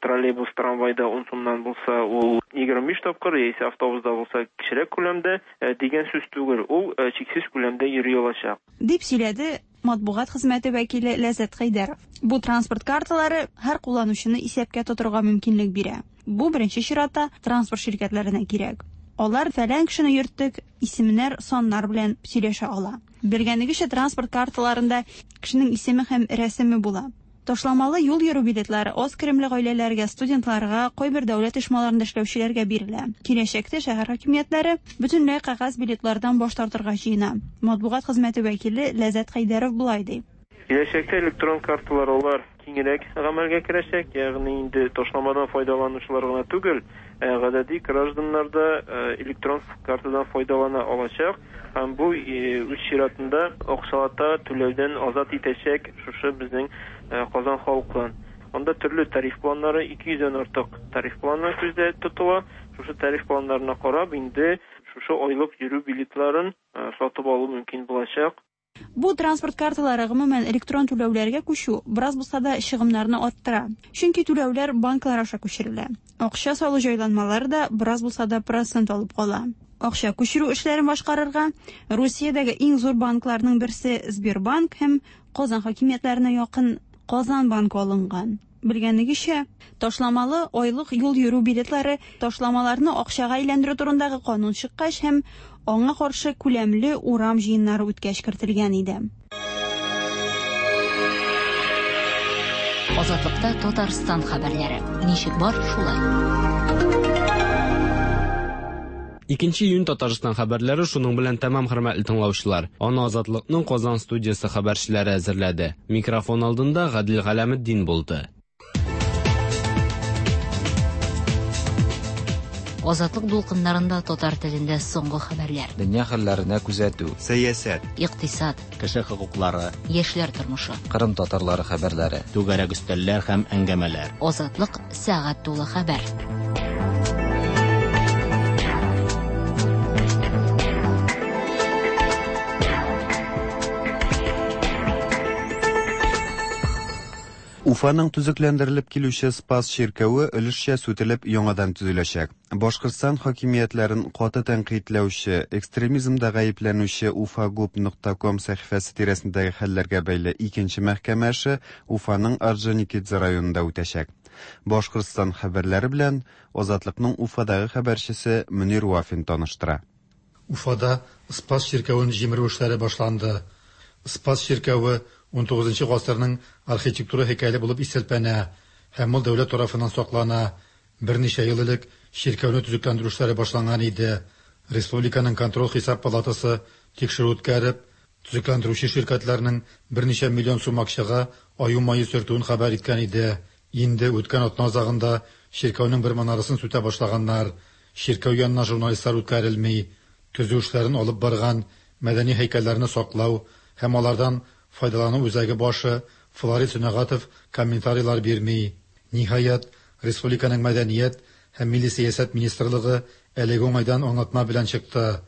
троллейбус, трамвайда ун сумнан булса, ул егерме биш тапкыр, яисә автобуста булса кечерәк күләмдә дигән сүз түгел, ул чиксез күләмдә йөри алачак. Дип сөйләде матбугат хезмәте вәкиле Ләззәт Хәйдәров. Бу транспорт карталары һәр кулланучыны исәпкә тотырга мөмкинлек бирә. Бу беренче чиратта транспорт ширкәтләренә кирәк. Алар фәлән кешене йөрттек, исемнәр, саннар белән сөйләшә ала. Белгәнегезчә, транспорт карталарында кешенең исеме һәм рәсеме була. Ташламалы юл йөрү билетлары аз керемле гаиләләргә, студентларга, кайбер дәүләт оешмаларында эшләүчеләргә бирелә. Киләчәктә шәһәр хакимиятләре бөтенләй кәгазь билетлардан баш тартырга җыена. Матбугат хезмәте вәкиле Ләззәт Хәйдәров болай ди. Киләчәктә электрон карталар алар киңрәк гамәлгә керәчәк, ягъни инде ташламадан файдаланучылар гына түгел, гадәти гражданнар да электрон картадан файдалана алачак һәм бу үз чиратында акчалата түләүдән азат итәчәк шушы безнең Казан халкын. Анда төрле тариф планнары, ике йөздән артык тариф планы күздә тотыла. Шушы тариф планнарына карап инде шушы айлык йөрү билетларын сатып алу мөмкин булачак. Бу транспорт карталары гомумән электрон түләүләргә күчү бераз булса да чыгымнарны арттыра. Чөнки түләүләр банклар аша күчерелә. Акча салу җайланмалары да бераз булса да процент алып кала. Акча күчерү эшләрен башкарырга Русиядәге иң зур банкларның берсе Сбербанк һәм Казан хакимиятләренә якын Казан банкы алынган. Белгәнегезчә, ташламалы айлык юл йөрү билетлары ташламаларны акчага әйләндерү турындагы канун чыккач һәм аңа каршы күләмле урам җыеннары үткәч кертелгән иде. Азатлыкта Татарстан хәбәрләре. Ничек бар, шулай. Икенче июнь Татарстан хәбәрләре шуның белән тәмам, хөрмәтле тыңлаучылар. Аны Азатлыкның Казан студиясе хәбәрчеләре әзерләде. Микрофон алдында Гадил Галәметдин булды. Азатлык дулкыннарында татар телендә соңгы хәбәрләр. Дөнья хәлләренә күзәтү, сәясәт, икътисад, кеше хокуклары, яшьләр тормышы, Кырым татарлары хәбәрләре, түгәрәк өстәлләр һәм әңгәмәләр. Азатлык сәгать тулы хәбәр. Уфаның төзекләндерелеп килүче Спас чиркәве өлешчә сүтелеп яңадан төзеләчәк. Башкортстан хакимиятләрен каты тәнкыйтьләүче, экстремизмда гаепләнүче уфагуб нокта ком сәхифәсе тирәсендәге хәлләргә бәйле икенче мәхкәмә эше Уфаның Орджоникидзе районында үтәчәк. Башкортстан хәбәрләре белән Азатлыкның Уфадагы хәбәрчесе Мөнир Вафин таныштыра. Уфада Спас чиркәвен җимерү эшләре башланды. Спас чиркәве ун тугызынчы гасырның архитектура һәйкәле булып исәпләнә һәм ул дәүләт тарафыннан саклана. Берничә ел элек чиркәүне төзекләндерү эшләре башланган иде. Республиканың контроль хисап палатасы тикшерү үткәреп, төзекләндерүче ширкәтләрнең берничә миллион сум акчага аю мае сөртүен хәбәр иткән иде. Инде үткән атна азагында чиркәүнең бер манарасын сүтә башлаганнар. Чиркәү янына журналистлар үткәрелми. Төзү эшләрен алып барган мәдәни һәйкәлләрне саклау һәм алардан файдалану үзәге башы Флорид Сөнәгатов комментарийлар бирми. Ниһаять, республиканың мәдәният һәм милли сәясәт министрлыгы әлеге уңайдан аңлатма белән чыкты.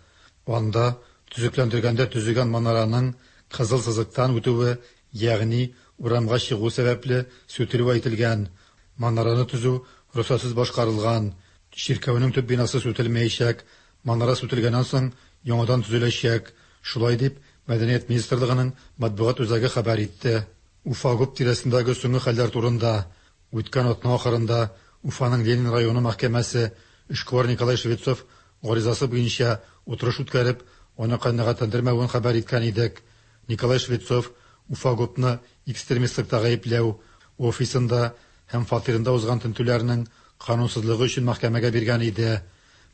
Анда төзекләндергәндә төзегән манараның кызыл сызыктан үтүе, ягъни урамга чыгу сәбәпле сүтелүе әйтелгән. Манараны төзү рөхсәтсез башкарылган. Чиркәүнең төп бинасы сүтелмәячәк. Манара сүтелгәннән соң яңадан төзеләчәк. Шулай дип Мәдәният министрлыгының матбугат үзәге хәбәр итте. Уфа-ГУП тирәсендәге соңгы хәлләр турында үткән атна ахырында Уфаның Ленин районы мәхкәмәсе эшкуар Николай Швецов гаризасы буенча утырыш үткәреп, аны канәгатьләндермәвен хәбәр иткән идек. Николай Швецов Уфа-ГУПны экстремистлыкта гаепләү, офисында һәм фатирында узган тентүләрнең канунсызлыгы өчен мәхкәмәгә биргән иде.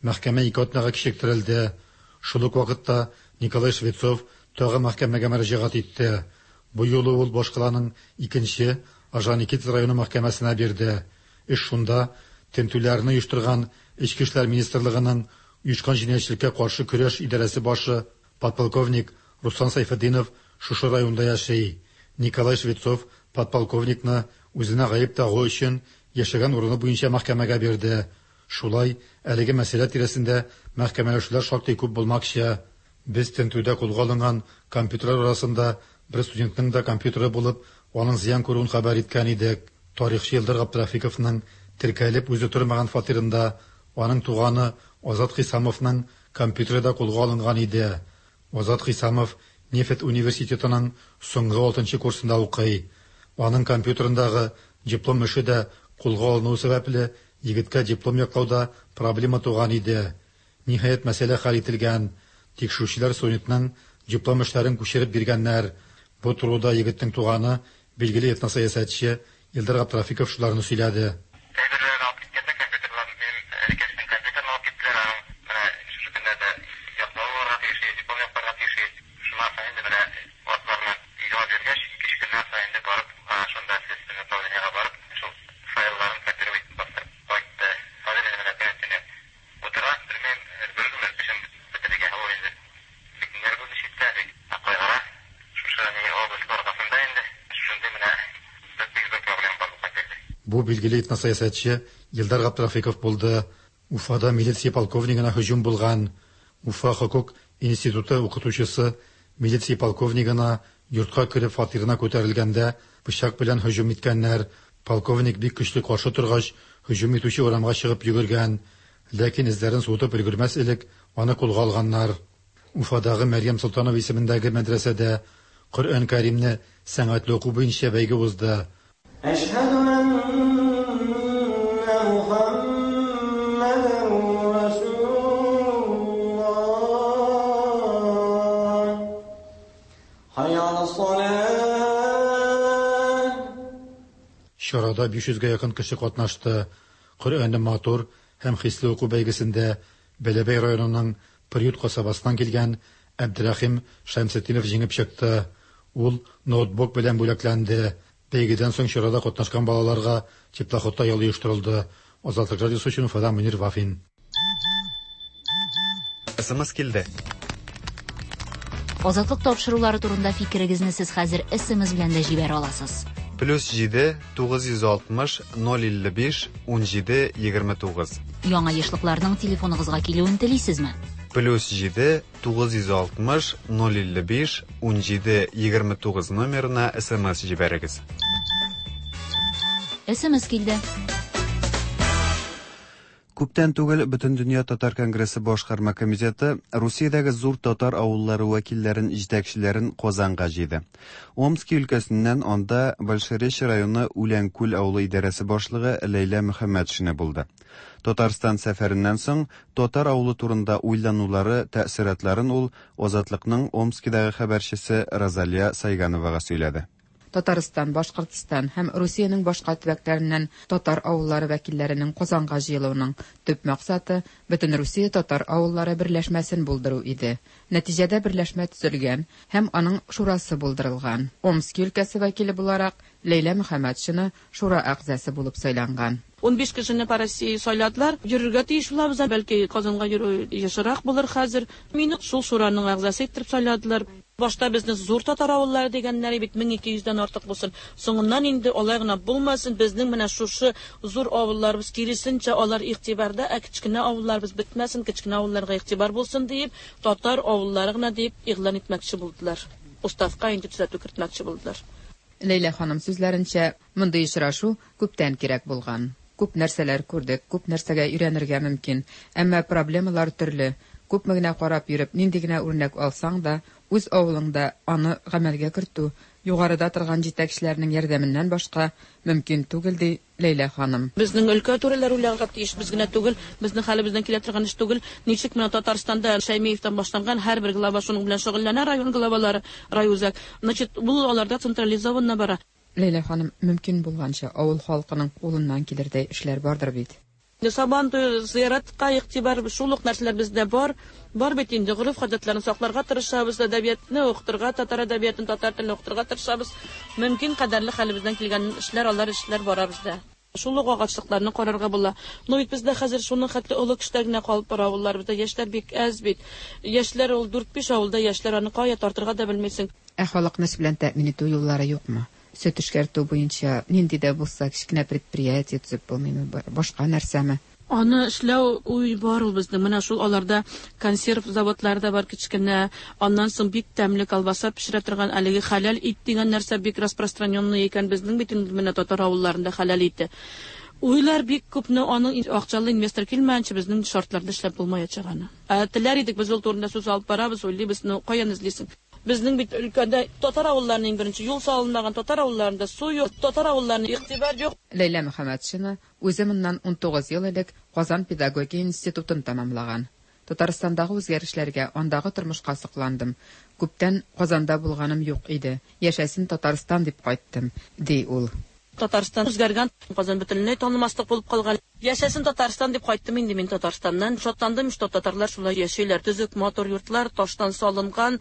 Мәхкәмә ике атнага кичектерелде. Шул ук вакытта Николай Швецов тагы мәхкәмәгә мөрәҗәгать итте. Бу юлы ул башкаланың икенче Орджоникидзе районы мәхкәмәсенә бирде. Эш шунда тентүләрне оештырган Эчке эшләр министрлыгының оешкан җинаятьчелеккә каршы көрәш идарәсе башы подполковник Руслан Сайфетдинов шушы районда яши. Николай Швецов подполковникны үзенә гаеп тагу өчен яшәгән урыны буенча мәхкәмәгә бирде. Шулай, әлеге мәсьәлә тирәсендә мәхкәмәләшүләр шактый күп булмакчы. Без тентүдә кулга алынган компьютерлар арасында бер студентның да компьютеры булып, аның зыян күрүен хәбәр иткән идек. Тарихчы Илдар Габдрафиковның теркәлеп үзе тормаган фатирында аның туганы Азат Хисамовның компьютеры да кулга алынган иде. Азат Хисамов нефть университетының соңгы алтынчы курсында укый. Аның компьютерындагы диплом эше дә кулга алыну сәбәпле егеткә диплом яклауда проблема туган иде. Ниһаять, мәсьәлә хәл ителгән. Тикшерүчеләр студентның диплом эшләрен күчереп биргәннәр. Бу турыда егетнең туганы Билгеле этносәясәтче Илдар Габдрафиков шуларны сөйләде. Әйберләрен алып киткәндә компьютерларын, минем энекәшнең компьютерын алып киттеләр, аның менә шушы көннәрдә яклау булырга тиеш, диплом якларга тиеш. Шуннан соң инде менә ватыларны өйгә алып йөргәч, ике-өч көннән соң инде барып, шунда следственный управлениегә барып, шул файлларын копировать итеп бастырып кайтты. Хәзер инде менә көне-төне утыра, белмим, бер көн эшен бетерергә. Ул инде бик нервы читтә, бик кайгыра. Шушы ни область аркасында инде шундый менә бик зур проблема барлыкка килде. Бу билгеле этносәясәтче Илдар Габдрафиков булды. Уфада милиция полковнигына һөҗүм булган. Уфа хокук институты укытучысы милиция полковнигына йортка кереп фатирына күтәрелгәндә пычак белән һөҗүм иткәннәр. Полковник бик көчле каршы торгач, һөҗүм итүче урамга чыгып йөгергән. Ләкин эзләрен суытып өлгермәс элек аны кулга алганнар. Уфадагы Мәрьям Солтанова исемендәге мәдрәсәдә Коръән Кәримне сәнгатьле уку буенча бәйге узды. Әшһәдү әннә Мухаммәдән Расулуллаһ. Хәйя алас-салаһ. Чарада биш йөзгә якын кеше катнашты. Коръәнне матур һәм хисле уку бәйгесендә Бәләбәй районының Приют касабасыннан килгән Әбдерәхим Шәмсетдинов җиңеп чыкты. Ул ноутбук белән бүләкләнде. Бәйгедән соң чарада катнашкан балаларга теплоходта ял оештырылды. Азатлык радиосы өчен Уфадан Мөнир Вафин. СМС килде. Азатлык тапшырулары турында фикерегезне сез хәзер СМС белән дә җибәрә аласыз. Плюс җиде, тугыз йөз алтмыш, ноль илле биш, ун җиде, егерме тугыз. Яңа ешлыкларның телефоныгызга килүен телисезме? Плюс җиде, тугыз йөз алтмыш, ноль илле биш, ун җиде, егерме тугыз номерына СМС җибәрегез. СМС килде. Күптән түгел Бөтендөнья татар конгрессы башкарма комитеты Русиядәге зур татар авыллары вәкилләрен, җитәкчеләрен Казанга җыйды. Омски өлкәсеннән анда Большеречье районы Үләнкүл авылы идарәсе башлыгы Ләйлә Мөхәммәтшина булды. Татарстан сәфәреннән соң татар авылы турында уйланулары, тәэсиратларын ул Азатлыкның Омскидагы хәбәрчесе Розалия Сайгановага сөйләде. Татарстан, Башкортстан һәм Русиянең башка төбәкләреннән татар авыллары вәкилләренең Казанга җыелуының төп максаты Бөтен Русия татар авыллары берләшмәсен булдыру иде. Нәтиҗәдә берләшмә төзелгән һәм аның шурасы булдырылган. Омски өлкәсе вәкиле буларак Ләйлә Мөхәммәтшина шура әгъзасы булып сайланган. Ун биш кешене по России сайладылар. Йөрергә тиеш булабыз, бәлки Казанга йөрү ешрак булыр хәзер. Мине шул шураның әгъзасы итеп сайладылар. Башта безне зур татар авыллары дигәннәр бит мең ике йөздән артык булсын. Соңыннан инде алай гына булмасын, безнең менә шушы зур авылларыбыз киресенчә алар игътибарда, ә кечкенә авылларыбыз бетмәсен, кечкенә авылларга игътибар булсын диеп, татар авыллары гына дип игълан итмәкче булдылар. Уставка инде төзәтү кертмәкче булдылар. Ләйлә ханым сүзләренчә, мондый очрашу күптән кирәк булган. Күп нәрсәләр күрдек, күп нәрсәгә өйрәнергә мөмкин, әмма проблемалар төрле. Күпме генә карап йөреп, нинди генә үрнәк алсаң да, үз авылыңда аны гамәлгә кертү, югарыда торган җитәкчеләрнең ярдәменнән башка мөмкин түгел, ди Ләйлә ханым. Безнең өлкә түрәләре уйларга тиеш, без генә түгел, безнең хәлебездән килә торган эш түгел. Ничек менә Татарстанда Шәймиевтән башланган һәрбер глава шуның белән шөгыльләнә, район главалары, райүзәк. Значит, бу аларда централизованно бара. Ләйлә ханым, мөмкин булганча авыл халкының кулыннан килердәй эшләр бардыр бит. Сабан туе, зыяратка игътибар, шул ук нәрсәләр бездә бар. Бар бит инде, гореф-гадәтләрне сакларга тырышабыз, әдәбиятны укытырга, татар әдәбиятын, татар телен укытырга тырышабыз. Мөмкин кадәрле хәлебездән килгән эшләр, алар эшләр бара бездә. Шул ук агачлыкларны карарга була. Но бит бездә хәзер шуның хәтле олы кешеләр генә калып бара авыллар, бездә яшьләр бик әз бит. Яшьләр ул дүрт-биш авылда яшьләр, аны кая тартырга да белмисең. Ә халыкны эш белән тәэмин итү юллары юкмы? Сөт эшкәртү буенча нинди дә булса кечкенә предприятие төзеп булмыймы, башка нәрсәме? Аны эшләү уй бар ул безнең. Менә шул аларда консерв заводлары да бар кечкенә. Аннан соң бик тәмле колбаса пешерә торган әлеге хәләл ит дигән нәрсә бик распространенный икән безнең бит инде менә татар авылларында хәләл ите. Уйлар бик күпне, аның акчалы инвестор килмәенчә безнең шартларда эшләп булмаячак аны. Ә теләр идек, без ул турында сүз алып барабыз, уйлыйбыз, но каян эзлисең? Безнең бит өлкәдә татар авылларының беренче юл салынмаган, татар авылларында су юк, татар авылларына игътибар юк. Ләйлә Мөхәммәтшина үзе моннан ун тугыз ел элек Казан педагогия институтын тәмамлаган. Татарстандагы үзгәрешләргә, андагы тормышка сокландым. Күптән Казанда булганым юк иде. Яшәсен Татарстан дип кайттым, ди ул. Татарстан үзгәргән, Казан бөтенләй танымаслык булып калган. Яшәсен Татарстан дип кайттым инде мин Татарстаннан. Шатландым, что татарлар шулай яшиләр. Төзек, матур йортлар, таштан салынган,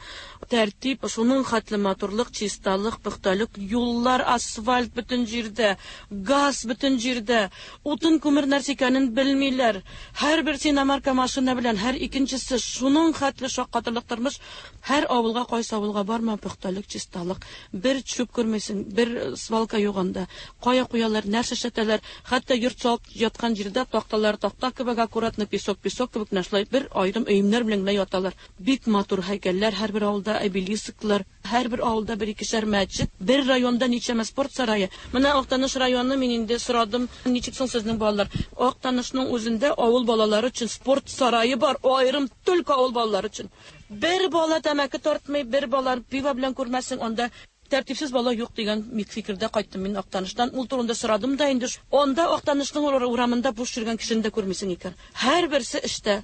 тәртип, шуның хәтле матурлык, чисталык, пөхтәлек, юллар, асфальт бөтен җирдә, газ бөтен җирдә, утын күмер нәрсә икәнен белмиләр. Һәрберсе иномарка машина белән, һәр икенчесе шуның хәтле шаккатырлык тормыш. Һәр авылга, кайсы авылга барма, пөхтәлек, чисталык. Бер чүп күрмисең, бер свалка юк анда. Кая куялар, нәрсә эшләтәләр, хәтта йорт салып яткан җирдә такталар такта кебек аккуратно, песок песок кебек менә бер аерым өемнәр белән генә яталар. Бик матур һәйкәлләр, һәрбер авылда обелисклар, һәрбер авылда бер икешәр мәчет, бер районда ничәмә спорт сарае. Менә Актаныш районы, мин инде сорадым, ничек соң сезнең балалар? Актанышның үзендә авыл балалары өчен спорт сарае бар, аерым только авыл балалары өчен. Бер бала тәмәке тартмый, бер бала пиво белән күрмәсең, анда тәртипсез бала юк дигән фикердә кайттым мин Актаныштан. Ул турында сорадым да инде. Анда Актанышның урамында буш йөргән кешене дә күрмисең икән. Һәрберсе эштә.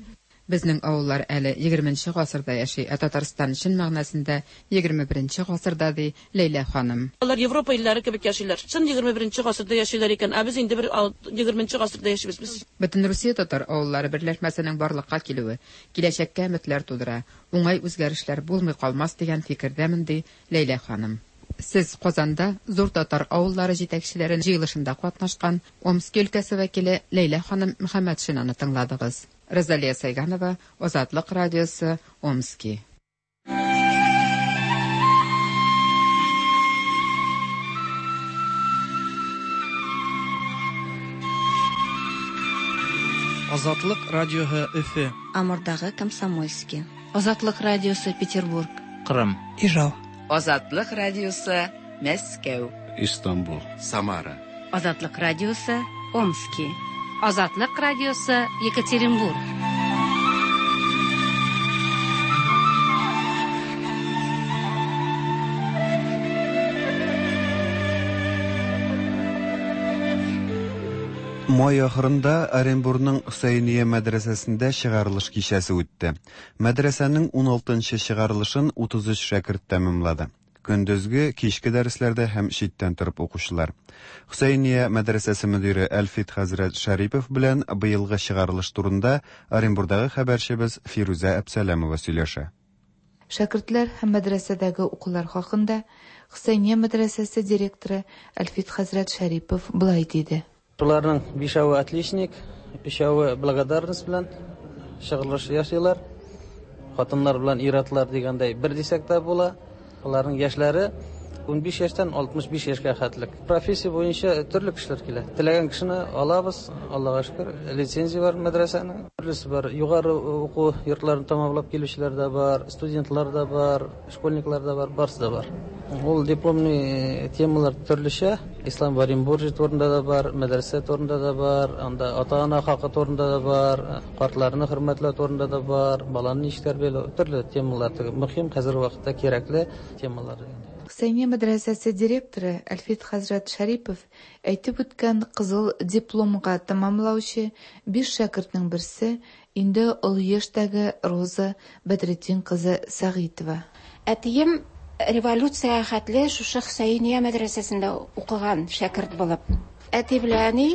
Безнең авыллар әле егерменче гасырда яши, ә Татарстан чын мәгънәсендә егерме беренче гасырда, ди Ләйлә ханым. Алар Европа илләре кебек яшиләр. Чын егерме беренче гасырда яшиләр икән, ә без инде бер егерменче гасырда яшибез без. Бөтенрусия татар авыллары берләшмәсенең барлыкка килүе киләчәккә өметләр тудыра, уңай үзгәрешләр булмый калмас дигән фикердәмен, ди Ләйлә ханым. Сез Казанда зур татар авыллары җитәкчеләрен җыелышында катнашкан Омски өлкәсе вәкиле Ләйлә ханым Мөхәммәтшинаны тыңладыгыз. Розалия Сайганова, Азатлык радиосы, Омски. Азатлык радиосы Өфе. Амурдагы Комсомольский. Азатлык радиосы Петербург. Кырым. Ижау. Азатлык радиосы Мәскәү. Истанбул. Самара. Азатлык радиосы Омски. Азатлык радиосы Екатеринбург. Май ахырында Оренбургның Хөсәйния мәдрәсәсендә чыгарылыш кичәсе үтте. Мәдрәсәнең ун алтынчы чыгарылышын утыз өч шәкерт тәмамлады. Көндезге, кичке дәресләрдә һәм читтән торып укучылар. Хөсәйния мәдрәсәсе мөдире Әлфит хәзрәт Шәрипов белән быелгы чыгарылыш турында Оренбургдагы хәбәрчебез Фирүзә Әпсәләмова сөйләшә. Шәкертләр һәм мәдрәсәдәге укулар хакында Хөсәйния мәдрәсәсе директоры Әлфит хәзрәт Шәрипов былай диде. Шуларның бишәве отличник, өчәве благодарность белән чыгарылыш ясыйлар. Хатыннар белән ир-атлар дигәндәй бер дисәк тә була. Аларның яшьләре ун биш яшьтән алтмыш биш яшькә хәтлек. Профессия буенча төрле кешеләр килә. Теләгән кешене алабыз, Аллага шөкер, лицензия бар мәдрәсәнең. Төрлесе бар. Югары уку йортларын тәмамлап килүчеләр дә бар, студентлар да бар, школьниклар да бар, барысы да бар. Ул дипломный темалар төрлечә. Ислам в Оренбурге турында да бар, мәдрәсә турында да бар, анда ата-ана хакы турында да бар, картларны хөрмәтләү турында да бар, баланы ничек тәрбияләү, төрле темалар. Мөһим хәзерге вакытта кирәкле темалар. Хөсәйния мәдрәсәсе директоры Әлфит хәзрәт Шәрипов әйтеп үткән кызыл дипломга тәмамлаучы биш шәкертнең берсе инде олы яшьтәге Роза Бәдретдин кызы Сәгыйтова. Әтием революция хәтле шушы Хөсәйния мәдрәсәсендә укыган шәкерт булып. Әти белән әни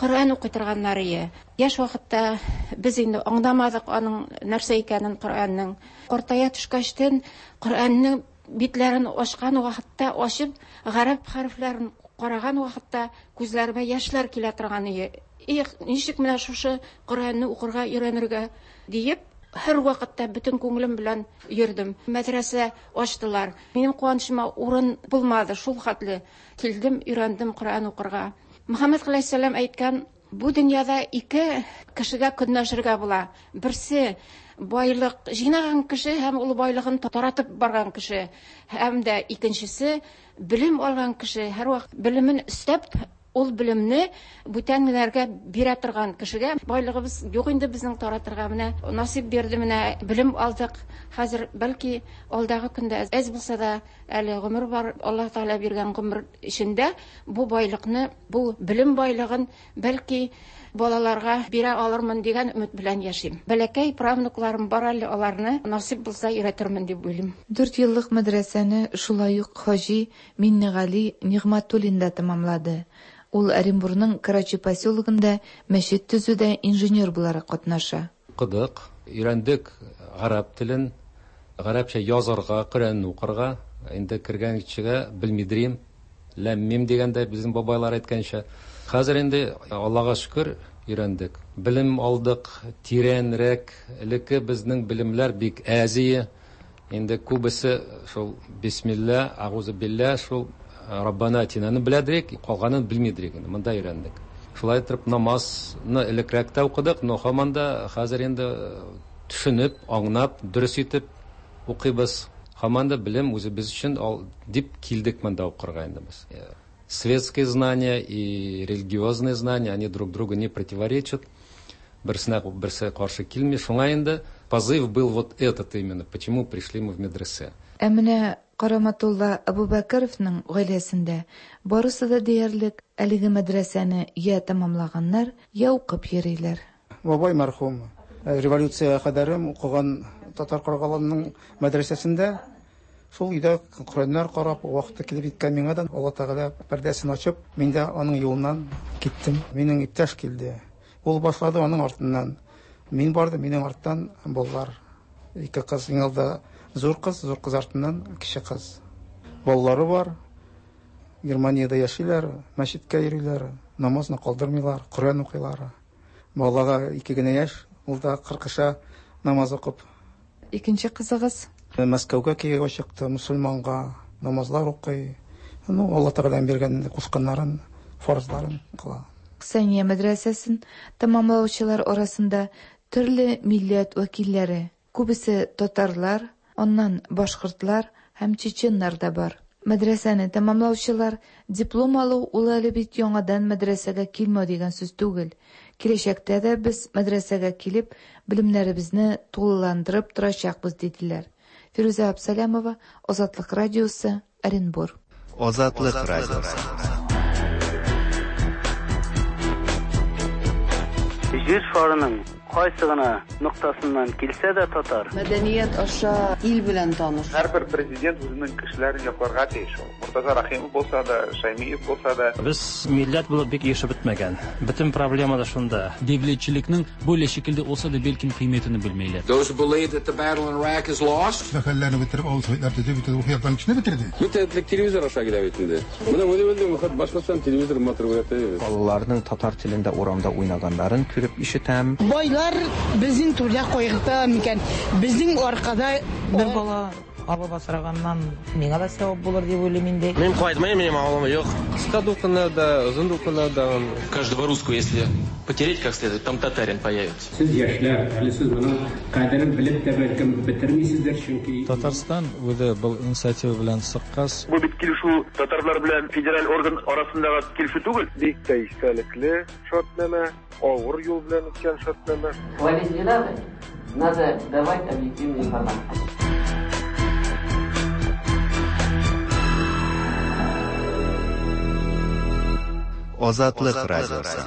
Коръән укый торганнар иде. Яшь вакытта без инде аңламадык аның нәрсә икәнен Коръәннең. Картая төшкәчтен Коръәннең битләрен ачкан вакытта ачып, гарәп хәрефләрен караган вакытта күзләремә яшьләр килә торган иде. Их, ничек менә шушы Коръәнне укырга өйрәнергә диеп, һәр вакытта бөтен күңелем белән йөрдем. Мәдрәсә ачтылар. Минем куанычыма урын булмады, шул хәтле килдем, өйрәндем Коръән укырга. Мөхәммәд галәйһиссәлам әйткән, бу дөньяда ике кешегә көнләшергә була. Берсе байлык җыйнаган кеше һәм ул байлыгын таратып барган кеше, һәм дә икенчесе белем алган кеше, һәрвакыт белемен өстәп, ул белемне бүтәннәргә бирә торган кешегә. Байлыгыбыз юк инде безнең таратырга, менә насыйп бирде, менә белем алдык. Хәзер бәлки алдагы көндә әз булса да әле гомер бар, Аллаһ Тәгалә биргән гомер эчендә бу байлыкны, бу белем байлыгын бәлки балаларга бирә алырмын дигән өмет белән яшим. Бәләкәй правнукларым бар әле, аларны насыйп булса өйрәтермен дип уйлыйм. Дүрт еллык мәдрәсәне шулай ук хаҗи Миннегали Нигъмәтуллин да тәмамлады. Ул Оренбурның Карачи поселогында мәчет төзүдә инженер буларак катнаша. Укыдык, өйрәндек гарәп телен, гарәпчә язарга, Коръәнне укырга. Инде кергән кешегә белмидрим, ләм-мим дигәндә безнең бабайлар әйткәнчә. Хәзер инде Аллага шөкер өйрәндек. Белем алдык, тирәнрәк. Элекке безнең белемләр бик әзие. Инде күбесе шул бисмилла, агузу билла, шул Раббана атинаны беләдек, калганын белмидек инде. Монда өйрәндек. Шулай итеп намазны элекрәк тә укыдык, но һаман да хәзер инде төшенеп, аңлап, дөрес итеп укыйбыз. Һаман да белем үзебез өчен дип килдек монда укырга инде без. Светские знания и религиозные знания, они друг другу не противоречат. Берсенә берсе каршы килми. Шуңа инде позыв был вот этот именно, почему пришли мы в медресе. Ә менә Караматулла Абубакаровның гаиләсендә барысы да диярлек әлеге мәдрәсәне я тәмамлаганнар, я укып йөриләр. Бабай мәрхүм революция кадәрем укыган Татар Каргалының мәдрәсәсендә шул өйдә Коръәннәр карап, вакыты килеп җиткән миңа да Алла Тәгалә пәрдәсен ачып, мин дә аның юлыннан киттем. Минем иптәш килде. Ул башлады, аның артыннан мин бардым, минем арттан балалар. Ике кыз, иң алда зур кыз, зур кыз артыннан кече кыз. Балалары бар. Германиядә яшиләр, мәчеткә йөриләр, намазны калдырмыйлар, Коръән укыйлар. Балага ике генә яшь, ул да кыркыша намаз укып. Икенче кызыгыз Мәскәүгә кияүгә чыкты, мусульманга намазлар укый. Ну, Алла Тәгаләнең биргән кушканнарын, фарызларын кыла. Хөсәйния мәдрәсәсен тәмамлаучылар арасында төрле милләт вәкилләре, күбесе татарлар, аннан башкортлар һәм чеченнар да бар. Мәдрәсәне тәмамлаучылар диплом алу ул әле бит яңадан мәдрәсәгә килмәү дигән сүз түгел. Киләчәктә дә без мәдрәсәгә килеп, белемнәребезне тулыландырып торачакбыз, диделәр. Фирүзә Абсалямова, Азатлык радиосы, Оренбур. Азатлык радиосы. Җир шарының кайсы гына ноктасыннан килсә дә татар. Мәдәният аша ил белән таныш. Һәрбер президент үзенең кешеләрен якларга тиеш. Муртаза Рахимов булса да, Шаймиев булса да. Без милләт булып бик яшәп бетмәгән. Бөтен проблема да шунда. Дәүләтчелекнең бу шикелле булса да бәлкем кыйммәтен белмиләр. Those who believe that the battle in Iraq is lost. Мәхәлләне бетереп, авыл советлар төзеп, бөтен рухияттан кешене бетерде. Бөтен телевизор аша килә бит инде. Менә үзе-үзе башкортстан телевизор матур күрәтә. Балаларның татар телендә урамда уйнаганнарын күреп ишетәм. Байлар безнең түрдә кайгырта микән? Безнең аркада бер бала алып асраганнан миңа да сәбәп булыр дип уйлыйм инде. Мин кайтмыйм, минем авылым юк. Кыска дулкыннарда, озын дулкыннарда. Каждого русского, если потереть как следует, там татарин появится. Сез яшьләр, әле сез моның кадерен белеп тә бәлкем бетермисездер, чөнки Татарстан үзе был инициатива белән чыккач. Бу бит килешү татарлар белән федераль орган арасындагы килешү түгел. Бик тә истәлекле шартнамә, авыр юл белән үткән шартнамә. Хвалить не надо, надо давать объективную информацию. Азатлык радиосы.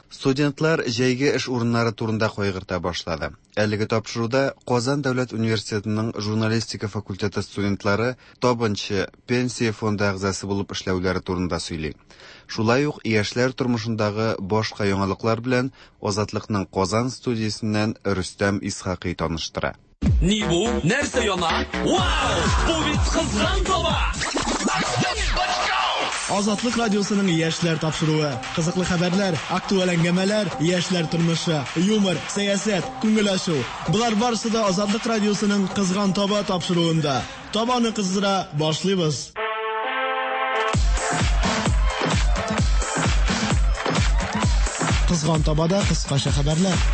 Студентлар җәйге эш урыннары турында кайгырта башлады. Әлеге тапшыруда Казан дәүләт университетының журналистика факультеты студентлары табынчы пенсия фонды әгъзасы булып эшләүләре турында сөйли. Шулай ук яшьләр тормышындагы башка яңалыклар белән Азатлыкның Казан студиясеннән Рөстәм Исхакый таныштыра. Ни бу? Нәрсә яна? Вау! Бу бит кызган таба! Азатлык радиосының яшьләр тапшыруы. Кызыклы хәбәрләр, актуаль әңгәмәләр, яшьләр тормышы, юмор, сәясәт, күңел ачу. Болар барысы да Азатлык радиосының Кызган таба тапшыруында. Табаны кыздыра башлыйбыз. Кызган табада кыскача хәбәрләр.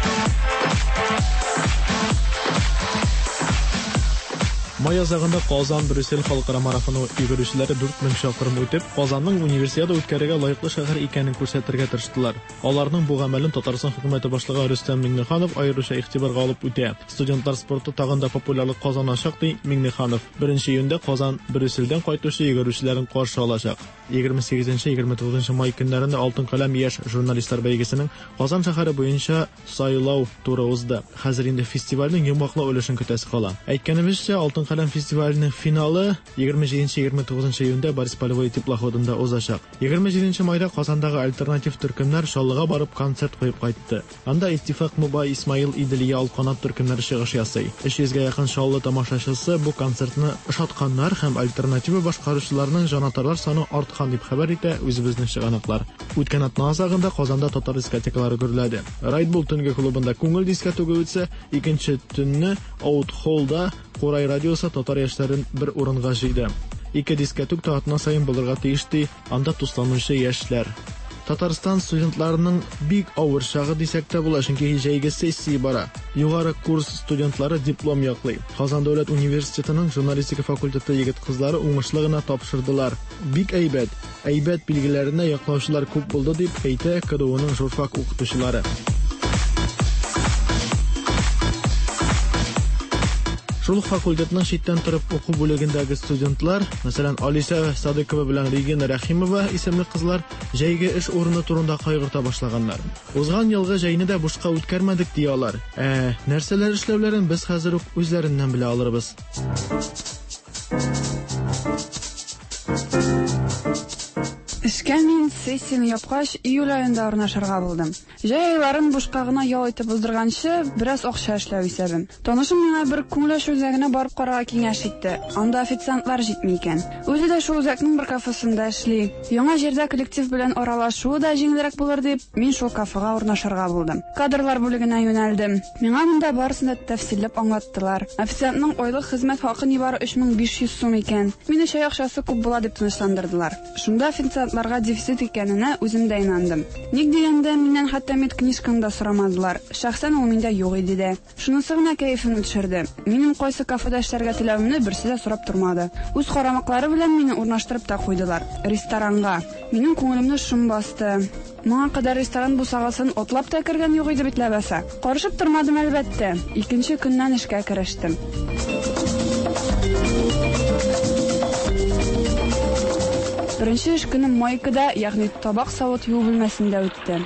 Май азагында Казан Брюссель халыкара марафоны йөгерүчеләре дүрт мең чакрым үтеп, Казанның универсиада үткәрергә лаеклы шәһәр икәнен күрсәтергә тырыштылар. Аларның бу гамәлен Татарстан хөкүмәте башлыгы Рөстәм Миңнеханов аеруча игътибарга алып үтә. Студентлар спорты тагын да популярлык казаначак, ди Миңнеханов. Беренче июньдә Казан Брюссельдән кайтучы йөгерүчеләрен каршы алачак. егерме сигезенче егерме тугызынчы май көннәрендә Алтын каләм яшь журналистлар бәйгесенең Казан шәһәре буенча сайлау туры узды. Хәзер инде фестивальнең йомгаклау өлешен көтәсе кала. Әйткәнебезчә, Алтын каләм фестиваленең финалы егерме җиденче егерме тугызынчы июньдә Борис Полевой теплоходында узачак. егерме җиденче майда Казандагы альтернатив төркемнәр Чаллыга барып концерт куеп кайтты. Анда Иттифак Мубай, Исмаил, Иделия, Алканат төркемнәре чыгыш ясый. Өч йөзгә якын Чаллы тамашачысы бу концертны ошатканнар һәм альтернатива башкаручыларның җанатарлар саны арткан дип хәбәр итә үзебезнең чыганаклар. Үткән атна азагында Казанда татар дискотекалары гөрләде. Райдбул төнге клубында күңел дискотегы үтсә, икенче төнне Out Hallда Курай радиосы татар яшьләрен бер урынга җыйды. Ике дискотек та атна саен булырга тиеш, ди анда тусланучы яшьләр. Татарстан студентларының бик авыр чагы дисәк тә була, чөнки җәйге сессия бара. Югары курс студентлары диплом яклый. Казан дәүләт университетының журналистика факультеты егет-кызлары уңышлы гына тапшырдылар. Бик әйбәт, әйбәт билгеләренә яклаучылар күп булды, дип әйтә КДУның журфак укытучылары. Шул ук факультетның читтән торып уку бүлегендәге студентлар, мәсәлән, Алиса Садыкова белән Регина Рәхимова исемле кызлар җәйге эш урыны турында кайгырта башлаганнар. Узган елгы җәйне дә бушка үткәрмәдек, ди алар. Ә нәрсәләр эшләүләрен без хәзер үк үзләреннән белә алырбыз. Эшкә мин сессияне япкач, июль аенда урнашырга булдым. Җәй айларын бушка гына ял итеп уздырганчы, бераз акча эшләү исәбем. Танышым миңа бер күңел ачу үзәгенә барып карарга киңәш итте. Анда официантлар җитми икән. Үзе дә шул үзәкнең бер кафесында эшли. Яңа җирдә коллектив белән аралашу да җиңелрәк булыр дип, мин шул кафега урнашырга булдым. Кадрлар бүлегенә юнәлдем. Миңа монда барысын да тәфсилләп аңлаттылар. Официантның айлык хезмәт хакы нибары өч мең биш йөз сум икән. Мине чәй акчасы күп була дип тынычландырдылар. Шунда официантларга дефицит икәненә үзем дә инандым. Ник дигәндә, миннән хәтта медкнижканы да сорамадылар. Шәхсән ул миндә юк иде дә. Шунысы гына кәефемне төшерде. Минем кайсы кафеда эшләргә теләвемне берсе дә сорап тормады. Үз карамаклары белән мине урнаштырып та куйдылар. Ресторанга. Минем күңелемне шом басты. Моңа кадәр ресторан бусагасын атлап та кергән юк иде бит ләбаса. Карышып тормадым әлбәттә. Икенче көннән эшкә керештем. Беренче эш көнем майкада, ягъни табак савыт юу бүлмәсендә үтте.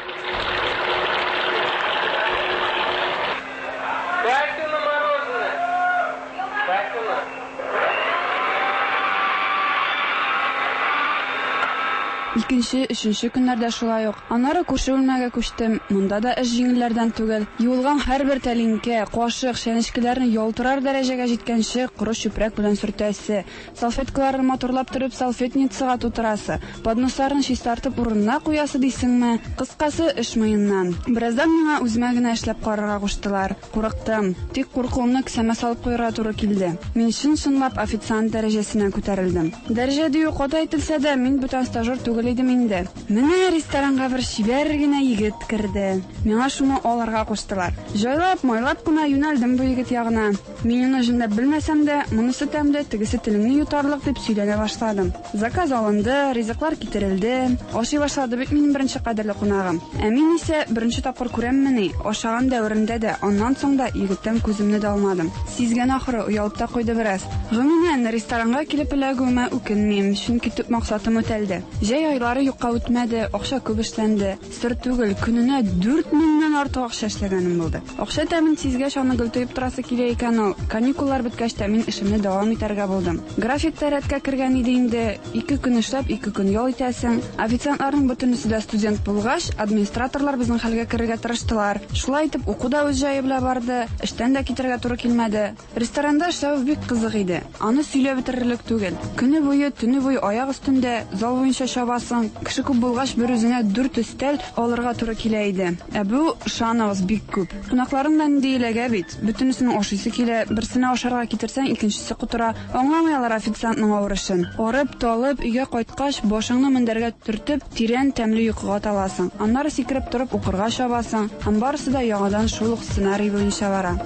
Икенче, өченче көннәрдә шулай ук. Аннары күрше бүлмәгә күчтем. Монда да эш җиңелләрдән түгел. Юылган һәрбер тәлинкә, кашык, чәнечкеләрне ялтырар дәрәҗәгә җиткәнче коры чүпрәк белән сөртәсе, салфеткаларны матурлап торып салфетницага тутырасы, подносларны чистартып урынына куясы дисеңме? Кыскасы, эш муеннан. Бераздан миңа үземә генә эшләп карарга куштылар. Курыктым. Тик куркуымны кесәмә салып куярга туры килде. Мин чын-чынлап официант дәрәҗәсенә күтәрелдем. Дәрәҗә дию каты әйтелсә дә, мин бүтән стажер түгел идем инде. Менә ресторанга бер чибәр генә егет керде. Миңа шуны алырга куштылар. Җайлап, майлап кына юнәлдем бу егет ягына. Мин аны җүнләп белмәсәм дә, монысы тәмле, тегесе телеңне йотарлык дип сөйләнә башладым. Заказ алынды, ризыклар китерелде. Ашый башлады бит минем беренче кадерле кунагым. Ә мин исә беренче тапкыр күрәммени, ашаган дәверендә дә, аннан соң да егеттән күземне дә алмадым. Сизгән ахыры, оялып та куйды бераз. Гомумән, ресторанга килеп эләгүемә үкенмим, чөнки төп максатым үтәлде. Җәй айлары юкка үтмәде, акча күп эшләнде. Сер түгел, көненә дүрт меңнән артык акча эшләгәнем булды. Акча тәмен сизгәч, аны гел тоеп торасы килә икән ул. Каникуллар беткәч тә мин эшемне дәвам итәргә булдым. График та рәткә кергән иде инде. Ике көн эшләп, ике көн ял итәсең. Официантларның бөтенесе дә студент булгач, администраторлар безнең хәлгә керергә тырыштылар. Шулай итеп, уку да үз җае белән барды, эштән дә китәргә туры килмәде. Ресторанда эшләү бик кызык иде. Аны сөйләп бетерерлек түгел. Көне буе, төне буе аяк өстендә, зал буенча чабасың. торасың. Кеше күп булгач, бер үзеңә дүрт өстәл алырга туры килә иде. Ә бу, ышаныгыз, бик күп. Кунакларың да нинди эләгә бит. Бөтенесенең ашыйсы килә, берсенә ашарга китерсәң, икенчесе котыра. Аңламый алар официантның авыр эшен. Арып, талып, өйгә кайткач, башыңны мендәргә төртеп, тирән тәмле йокыга таласың. Аннары сикереп торып укырга чабасың. Һәм барысы да яңадан шул ук сценарий буенча бара.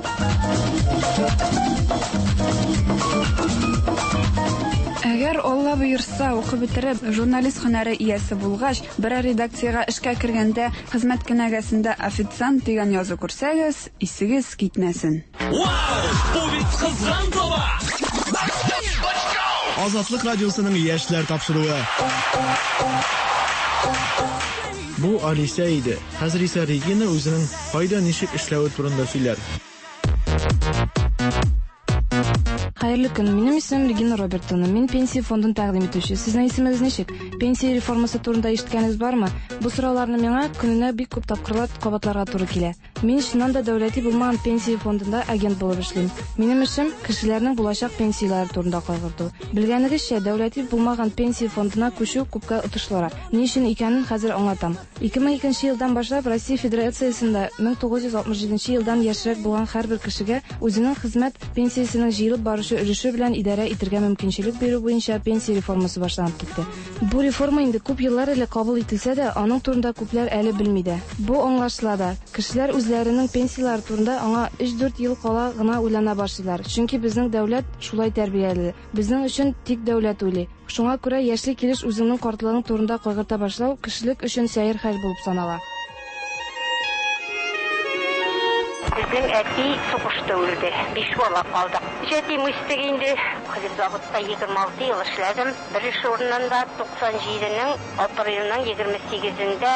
Әгәр Алла боерса, укып бетереп, журналист һөнәре иясе булгач, берәр редакциягә эшкә кергәндә хезмәт кенәгәсендә официант дигән язу күрсәгез, исегез китмәсен. Вау! Бу бит кызган таба! Азатлык радиосының яшьләр тапшыруы. Бу Алисә иде. Хәзер исә Регина үзенең кайда ничек эшләве турында сөйләр. Хәерле көн. Минем исемем Регина Робертовна. Мин пенсия фондын тәкъдим итүче. Сезнең исемегез ничек? Пенсия реформасы турында ишеткәнегез бармы? Бу сорауларны миңа көненә бик күп тапкырлар кабатларга туры килә. Мин чыннан да дәүләти булмаган пенсия фондында агент булып эшлим. Минем эшем кешеләрнең булачак пенсияләре турында кайгырту. Белгәнегезчә, дәүләти булмаган пенсия фондына күчү күпкә отышлырак. Ни өчен икәнен хәзер аңлатам. ике мең икенче елдан башлап Россия Федерациясендә мең тугыз йөз алтмыш җиденче елдан яшьрәк булган һәрбер кешегә үзенең хезмәт пенсиясенең җыелып барышы өлеше белән идарә итәргә мөмкинчелек бирү буенча пенсия реформасы башланып китте. Бу реформа инде күп еллар элек кабул ителсә дә, аның турында күпләр әле белми дә. Бу аңлашыла да. Кешеләр үзләренең пенсияләре турында аңа өч-дүрт ел кала гына уйлана башлыйлар. Чөнки безнең дәүләт шулай тәрбияле. Безнең өчен тик дәүләт уйлый. Шуңа күрә яшьле килеш үзеңнең картлыгың турында кайгырта башлау кешелек өчен сәер хәл булып санала. Безнең әти сугышта үлде. Биш бала калдык. Җәтим үстек инде. Хлебзаводта егерме алты ел эшләдем. Бер эш урынында туксан җиденең апрельнең егерме сигезендә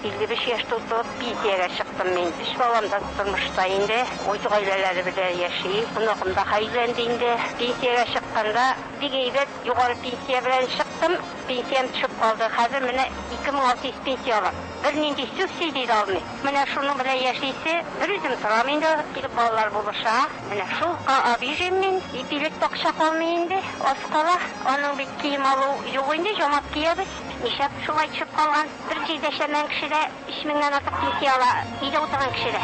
илле биш яшь тутырып пенсиягә чыктым мин. Өч балам да тормышта инде. Үз гаиләләре белән яши. Оныгым да өйләнде инде. Пенсиягә чыкканда бик әйбәт югары пенсия белән чыктым. Пенсиям төшеп калды. Хәзер менә ике мең алты йөз пенсия алам. Бернинди субсидия дә алмыйм. Менә шуның белән яшисе, бер үзем торам инде, килеп балалар булыша. Менә шул обижен мин, ипилек акча калмый инде, аз кала. Аның бит кием алу юк инде, жамап киябез. Нишләп шулай төшеп калган? Бер җирдә эшләмәгән кеше дә өч меңнән артык пенсия ала, өйдә утырган кеше дә.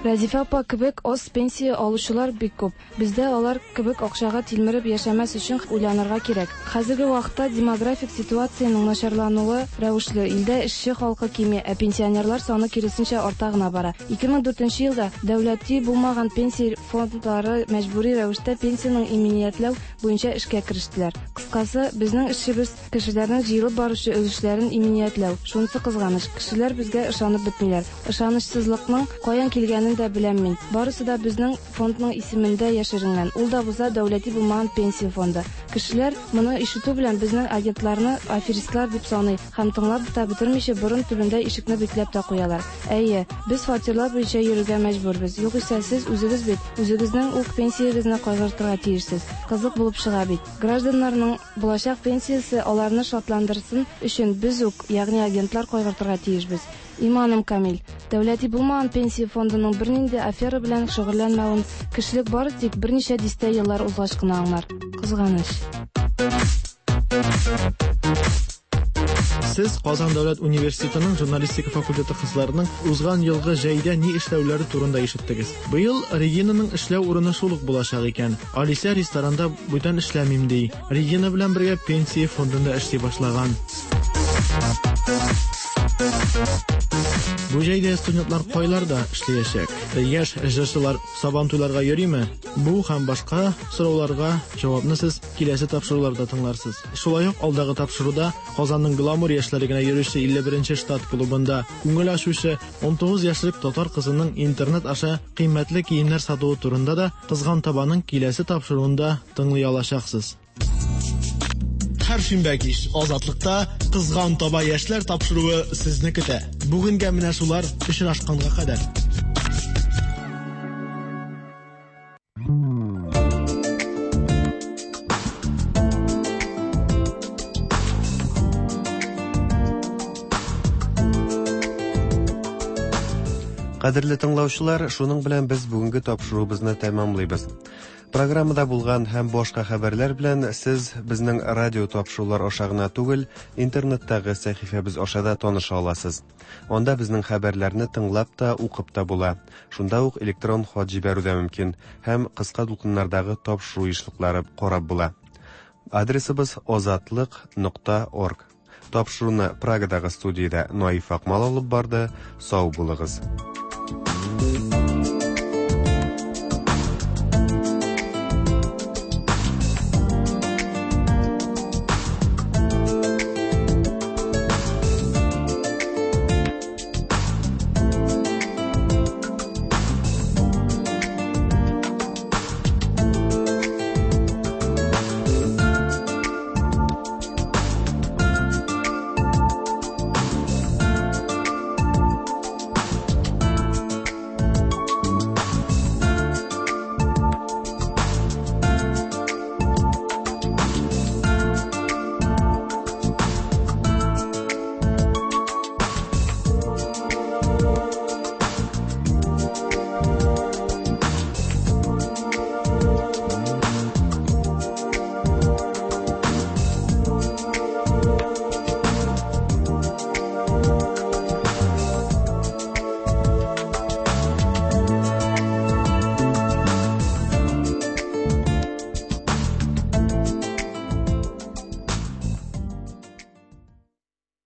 Рәзифә апа кебек аз пенсия алучылар бик күп. Бездә алар кебек акчага тилмереп яшәмәс өчен уйланырга кирәк. Хәзерге вакытта демографик ситуациянең начарлануы рәвешле илдә эшче халкы кими, ә пенсионерлар саны киресенчә арта гына бара. ике мең дүртенче елда дәүләти булмаган пенсия фондлары мәҗбүри рәвештә пенсияның иминиятләү буенча эшкә керештеләр. Кыскасы, безнең эшебез кешеләрнең җыелып баручы өлешләрен иминиятләү. Шунысы кызганыч, кешеләр безгә ышанып бетмиләр. Ышанычсызлыкның каян килгәнен дә беләм мин. Барысы да безнең фондның исемендә яшеренгән. Ул да булса дәүләти булмаган пенсия фонды. Кешеләр моны ишетү белән безнең агентларны аферистлар дип саный һәм тыңлап та бетермичә борын төбендә ишекне бикләп тә куялар. Әйе, без фатирлар буенча йөрергә мәҗбүрбез. Югыйсә сез үзегез бит, үзегезнең үк пенсиягезне кайгыртырга тиешсез. Кызык булып чыга бит. Гражданнарның булачак пенсиясе аларны шатландырсын өчен без үк, ягъни агентлар кайгыртырга тиешбез. Иманым камил. Дәүләти булмаган пенсия фондының бернинди афера белән шөгыльләнмәвен кешелек бары тик берничә дистә еллар узгач кына аңлар. Кызганыч. Сез Казан дәүләт университетының журналистика факультеты кызларының узган елгы җәйдә ни эшләүләре турында ишеттегез. Быел Регинаның эшләү урыны шул ук булачак икән. Алисә ресторанда бүтән эшләмим ди. Регина белән бергә пенсия фондында эшли башлаган. Бу җәйдә студентлар кайларда эшләячәк? Яшь җырчылар Сабантуйларга йөриме? Бу һәм башка сорауларга җавапны сез киләсе тапшыруларда тыңларсыз. Шулай ук алдагы тапшыруда Казанның гламур яшьләре генә йөрүче илле беренче штат клубында күңел ачучы ун тугыз яшьлек татар кызының интернет аша кыйммәтле киемнәр сатуы турында да Кызган табаның киләсе тапшыруында тыңлый алачаксыз. Һәр шимбә кич Азатлыкта Кызган таба яшьләр тапшыруы сезне көтә. Бүгенгә менә шулар, очрашканга кадәр. Кадерле тыңлаучылар, шуның белән без бүгенге тапшыруыбызны тәмамлыйбыз. Программада булган һәм башка хәбәрләр белән сез безнең радио тапшырулар аша гына түгел, интернеттагы сәхифәбез аша да таныша аласыз. Анда безнең хәбәрләрне тыңлап та, укып та була. Шунда ук электрон хат җибәрү дә мөмкин һәм кыска дулкыннардагы тапшыру ешлыклары карап була. Адресыбыз озатлык нокта орг. Тапшыруны Прагадагы студиядә Наиф Акмал алып барды. Сау булыгыз.